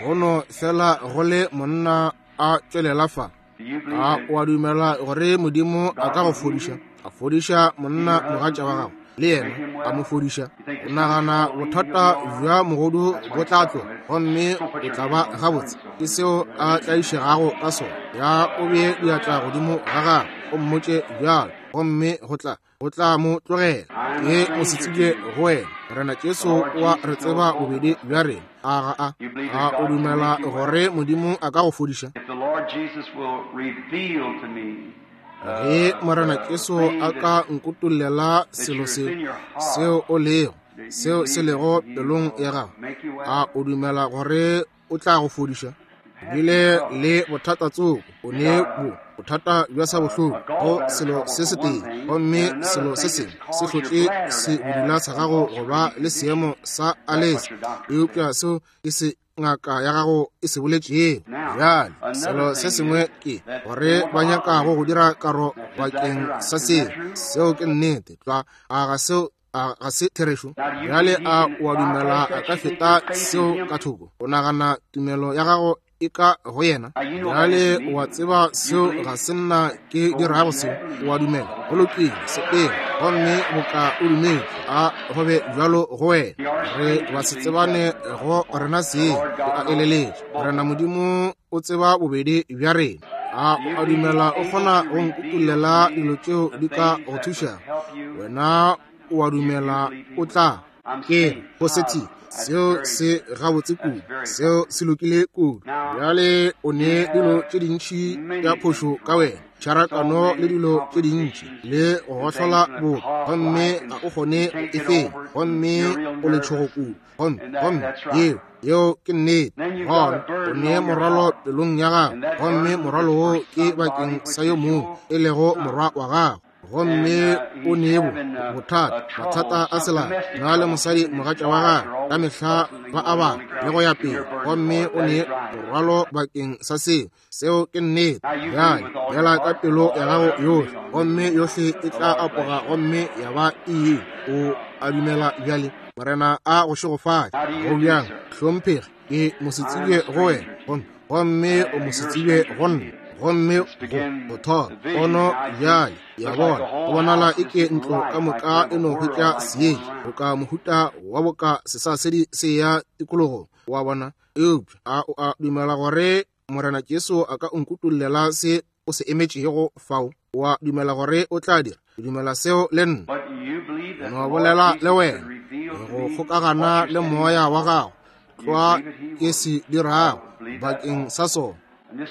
go no fela go le monna a tšwelela fa. A o a dumela gore Modimo a ka go fodiša? A fodiša monna mogatša wa gago, le yena a mo fodiša. O nagana bothata bja mogodu bo tla tloga, gomme o tla ba gabotse. Ke seo a tlaišegago ka sona. Ya o bee diatla godimo ga gagwe, o mmotše bjalo, gomme go tla, go tla mo tlogela. Ke mosetsebje go wena. Morena Jesu o a re tseba bobedi bja rena. A ga a? A o dumela gore Modimo a ka go fodiša? Ge Morena Jesu a ka nkutollela selo se, seo o lego, seo se lego pelong ya gago, a o dumela gore o tla go fodiša? O bile le bothata tsoko, o ne bo bothata bja sa bohloko go selo se setee, gomme selo se sengwe se hlotše sebudula sa gago go ba le seemo sa alese, eupša seo ke se ngaka ya gago e se boletšego. Bjale selo se sengwe ke gore ba nyakago go dira karo bakeng sa seo. Seo ke nnete tlwa. A ga seo, a ga se therešo? Bjale a o a dumela a ka feta seo ka thoko? O nagana tumelo ya gago e ka go yena? Bjale o a tseba seo ga se nna ke dirago seo. O a dumela? Go lokile, sepela, gomme boka o dumetše, a go be bjalo go wena. Re ba se tsebane go rena seng, ke a eleletša. Morena Modimo o tseba bobedi bja rena. A o a dumela o kgona go nkutollela dilo tšeo di ka go thušago? Wena o a dumela o tla? Ke positive. Seo se gabotse kudu. Seo se lokile kudu. Bjale o ne dilo tše dintši tša phošo ka wena, tšharakano le dilo tše dintši, le go gohlola boka, gomme ga o kgone go e fenya, gomme o letšhogo kudu. Gomme, gomme yeo, yeo ke nnete. Gona o ne morwalo pelong ya gago, gomme morwalo wo ke bakeng sa yo mongwe, e lego morwa wa gago. Gomme o ne bo bothata, mathata a selala, na le mosadi mogatša wa gagwe, ka mehla ba a bala le go ya pele, gomme o ne morwalo bakeng sa seo. Seo ke nnete. Bjale bjala ka pelo ya gago yohle, gomme yohle e tla apoga gomme ya ba e. O a dumela bjale? Morena a go šegofatše. Go bjang, hlomphegi? Ke mosetsebje go wena, gomme, gomme o mosetsebje go nna. Gomme go thoma pono bjale, ya bona, go bonala e ke ntlo ka moka e no hwetša seetša, boka mohuta wa boka sesasedi se ya tikologong, wa bona. Eupša a o a dumela gore Morena Jesu a ka nkutollela se o se emetšego fao? Wa dumela gore o tla dira? Ke dumela seo le nna. No bolela le wena, go kgokagana le moya wa gago, tlwa ke se dirago bakeng sa sona.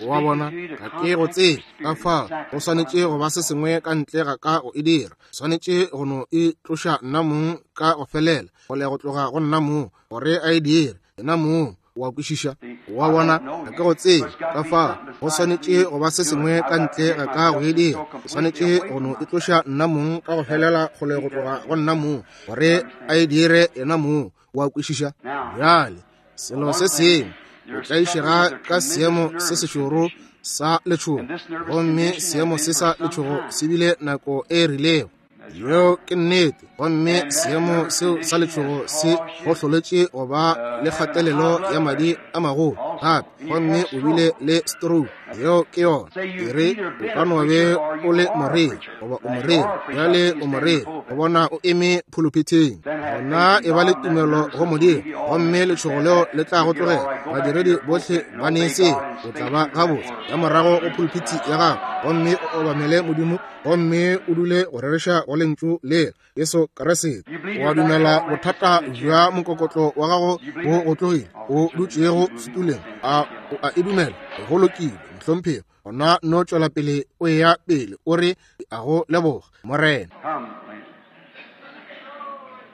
Wa bona, ga ke go tsebe, ka fao go swanetše go ba se sengwe ka ntle ga ka go e dira. Swanetše go no e tloša nna mong ka go felela, kgole go tloga go nna mong, gore a e dire yena mong. Wa kwešiša? Wa bona, ga ke go tsebe, ka fao go swanetše go ba se sengwe ka ntle ga ka go e dira. Ke swanetše go no e tloša nna mong ka go felela, kgole go tloga go nna mong, gore a e dire yena mong. Wa kwešiša? Bjale, selo se sengwe, o tlaišega ka seemo se sešoro sa letšhogo, gomme seemo se sa letšhogo se bile nako e rilego. Yeo ke nnete. Gomme seemo seo sa letšhogo se go hloletše go ba le kgatelelo ya madi a magolo gape, gomme o bile le stroke. Yeo ke yona. E re, o ka no be o le moreri goba o moreri, bjale o moreri, go bona o eme phuluphithing, gona e ba le tumelo go Modimo, gomme letšhogo leo le tla go tlogela. Badiredi bohle ba ne seo, o tla ba gabotse. Ya morago go phuluphithi ya gago, gomme o obamele Modimo, gomme o dule go rereša go Lentšu lela, Jesu Kriste. O a dumela bothata bja mokokotlo wa gago bo go tlogile, o dutšego setuleng? A o a e dumela? Go lokile, mohlomphegi. Gona no tšwela pele o eya pele, o re, Ke a go leboga, Morena.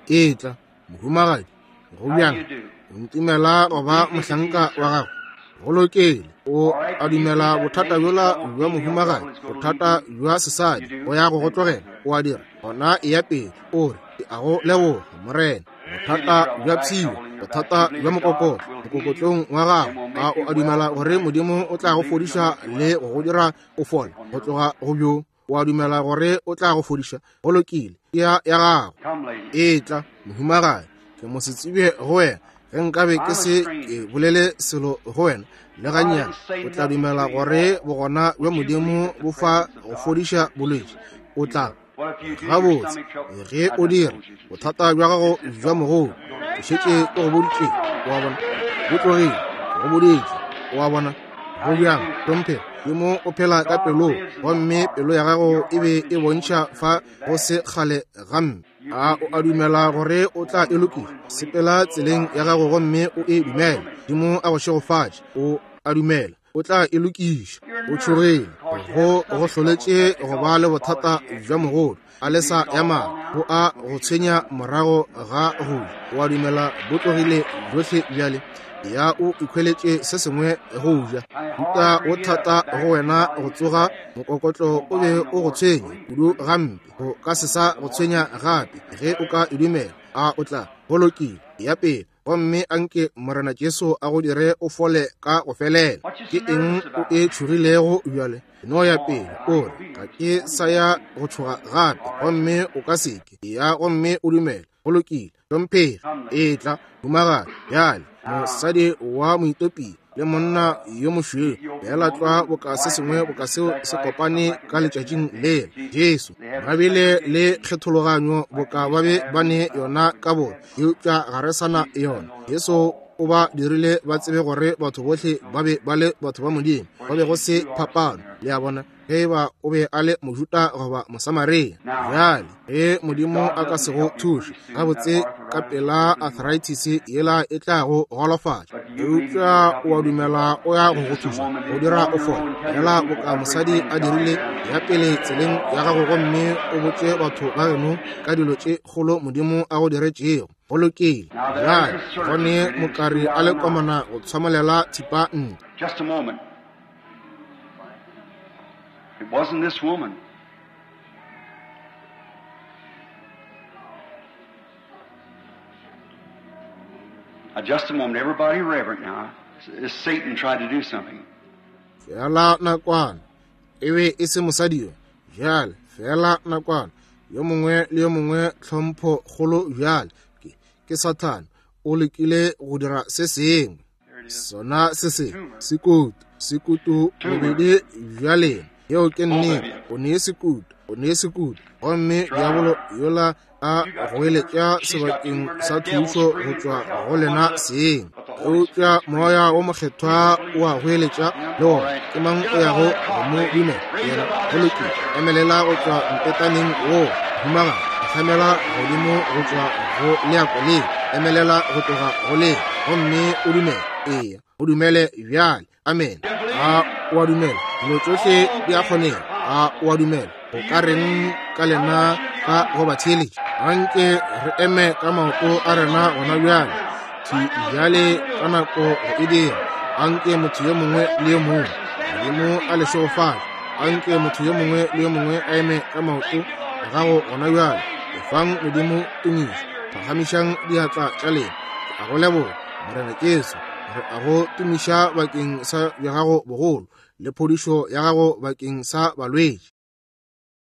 Etla, mohumagadi. Go bjang? O ntumela go ba mohlanka wa gago? Go lokile. O a dumela bothata bjola bja mohumagadi, bothata bja sesadi, go ya go go tlogela? O a dira? Gona eya pele, o re, Ke a go leboga, Morena. Bothata bja pshio, bothata bja mokokotlo mokokotlong wa gago, a o a dumela gore Modimo o tla go fodiša le go go dira o fole go tloga go bjo? O a dumela gore o tla go fodiša? Go lokile, ya ya gago. Etla, mohumagadi. Ke mo se tsebe go wena. Ge nkabe ke se ke bolele selo go wena le gannyane, o tla dumela gore bogona bja Modimo bo fa go fodiša bolwetši? O tla. Gabotse, ge o dira, bothata bja gago bja mogodu, ke šetše ke go boditše, wa bona, bo tlogile, ke go boditše, wa bona. Go bjang, hlomphega, Modimo o phela ka pelong, gomme pelo ya gago e be e bontšha fa go se kgale gampe. A o a dumela gore o tla e lokiša? Sepela tseleng ya gago gomme o e dumele. Modimo a go šegofatše. O a dumela o tla e lokiša. O tšhogile, go go hloletše go ba le bothata bja mogodu, a lesa ya mala, go a go tshwenya morago ga go ja. O a dumela bo tlogile bjohle bjale? Ya o ikhweletše se sengwe go ja. Huta o thata go wena go tsoga, mokokotlo o be o go tshwenya kudu gampe, go ka se sa go tshwenya gape ge o ka e dumela. A o tla? Go lokile, ya pele. Gomme anke Morena Jesu a go dire o fole ka go felela. Ke eng o e tšhogilego bjale? No ya pele, o re, Ga ke sa ya go tšhoga gape. Gomme o ka se ke. Ya gomme o dumele. Go lokile. Hlomphegi. Etla, humagadi. Bjale, mosadi wa Moetopia le monna yo mošweu, feela tlwa boka se sengwe boka seo se kopane ka letšatšing lela. Jesu, ba bile le kgethologanyo boka ba be ba ne yona ka bona, eupša ga re sa na yona. Jesu o ba dirile ba tsebe gore batho bohle ba be ba le batho ba Modimo, go be go se phapano, le a bona, ge e ba o be a le Mojuda goba Mosamaria. Bjale, ge Modimo a ka se go thuše gabotse ka pela, arthritis yela e tla go golofatša, eupša o a dumela o ya go go thuša go dira o fole, feela boka mosadi a dirile. Ya pele tseleng ya gago gomme o botše batho ba geno ka dilo tše kgolo Modimo a go diretšego. Go lokile. Bjale, gone mokari a le komana go tshwamolela thipa ntle. Just a moment. It wasn't this woman. Now, just a moment. Everybody reverent now. As Satan tried to do something. Feela nakwana. E be e se mosadi yo. Bjale, feela nakwana. Yo mongwe le yo mongwe tlhompho kgolo bjale. Ke, ke Sathane. O lekile go dira se sengwe. Sona se se, se kotu. Sekutu bobedi bja lena. Yeo ke nnete. O ne sekutu, o ne sekutu. Gomme diabolo yola a goeletša sebakeng sa thušo go tšwa go lena seng. Eupša Moya wo Mokgethwa o a goeletša le wona. Ke mang o yago go mo dumela? Yena. Go lokile. Emelela go tšwa mpetaneng woo, humagadi. Hlamela godimo go tšwa go leako le. Emelela go tloga go le, gomme o dumele. Eya, o dumele bjale. Amene. A o a dumela? Dilo tšohle di a kgonega. A o a dumela? Go ka reng ka lena ka go ba theeletša? Anke re eme ka maoto a rena gona bjale, thwi bjale ka nako go e dira. Anke motho yo mongwe le yo mongwe, Modimo a le šegofatše. Anke motho yo mongwe le yo mongwe a eme ka maoto a gago gona bjale. Efang Modimo tumišo. Phagamišang diatla tša lena. Ke a go leboga, Morena Jesu. Re a go tumiša bakeng sa bja gago bogolo le phodišo ya gago bakeng sa balwetši.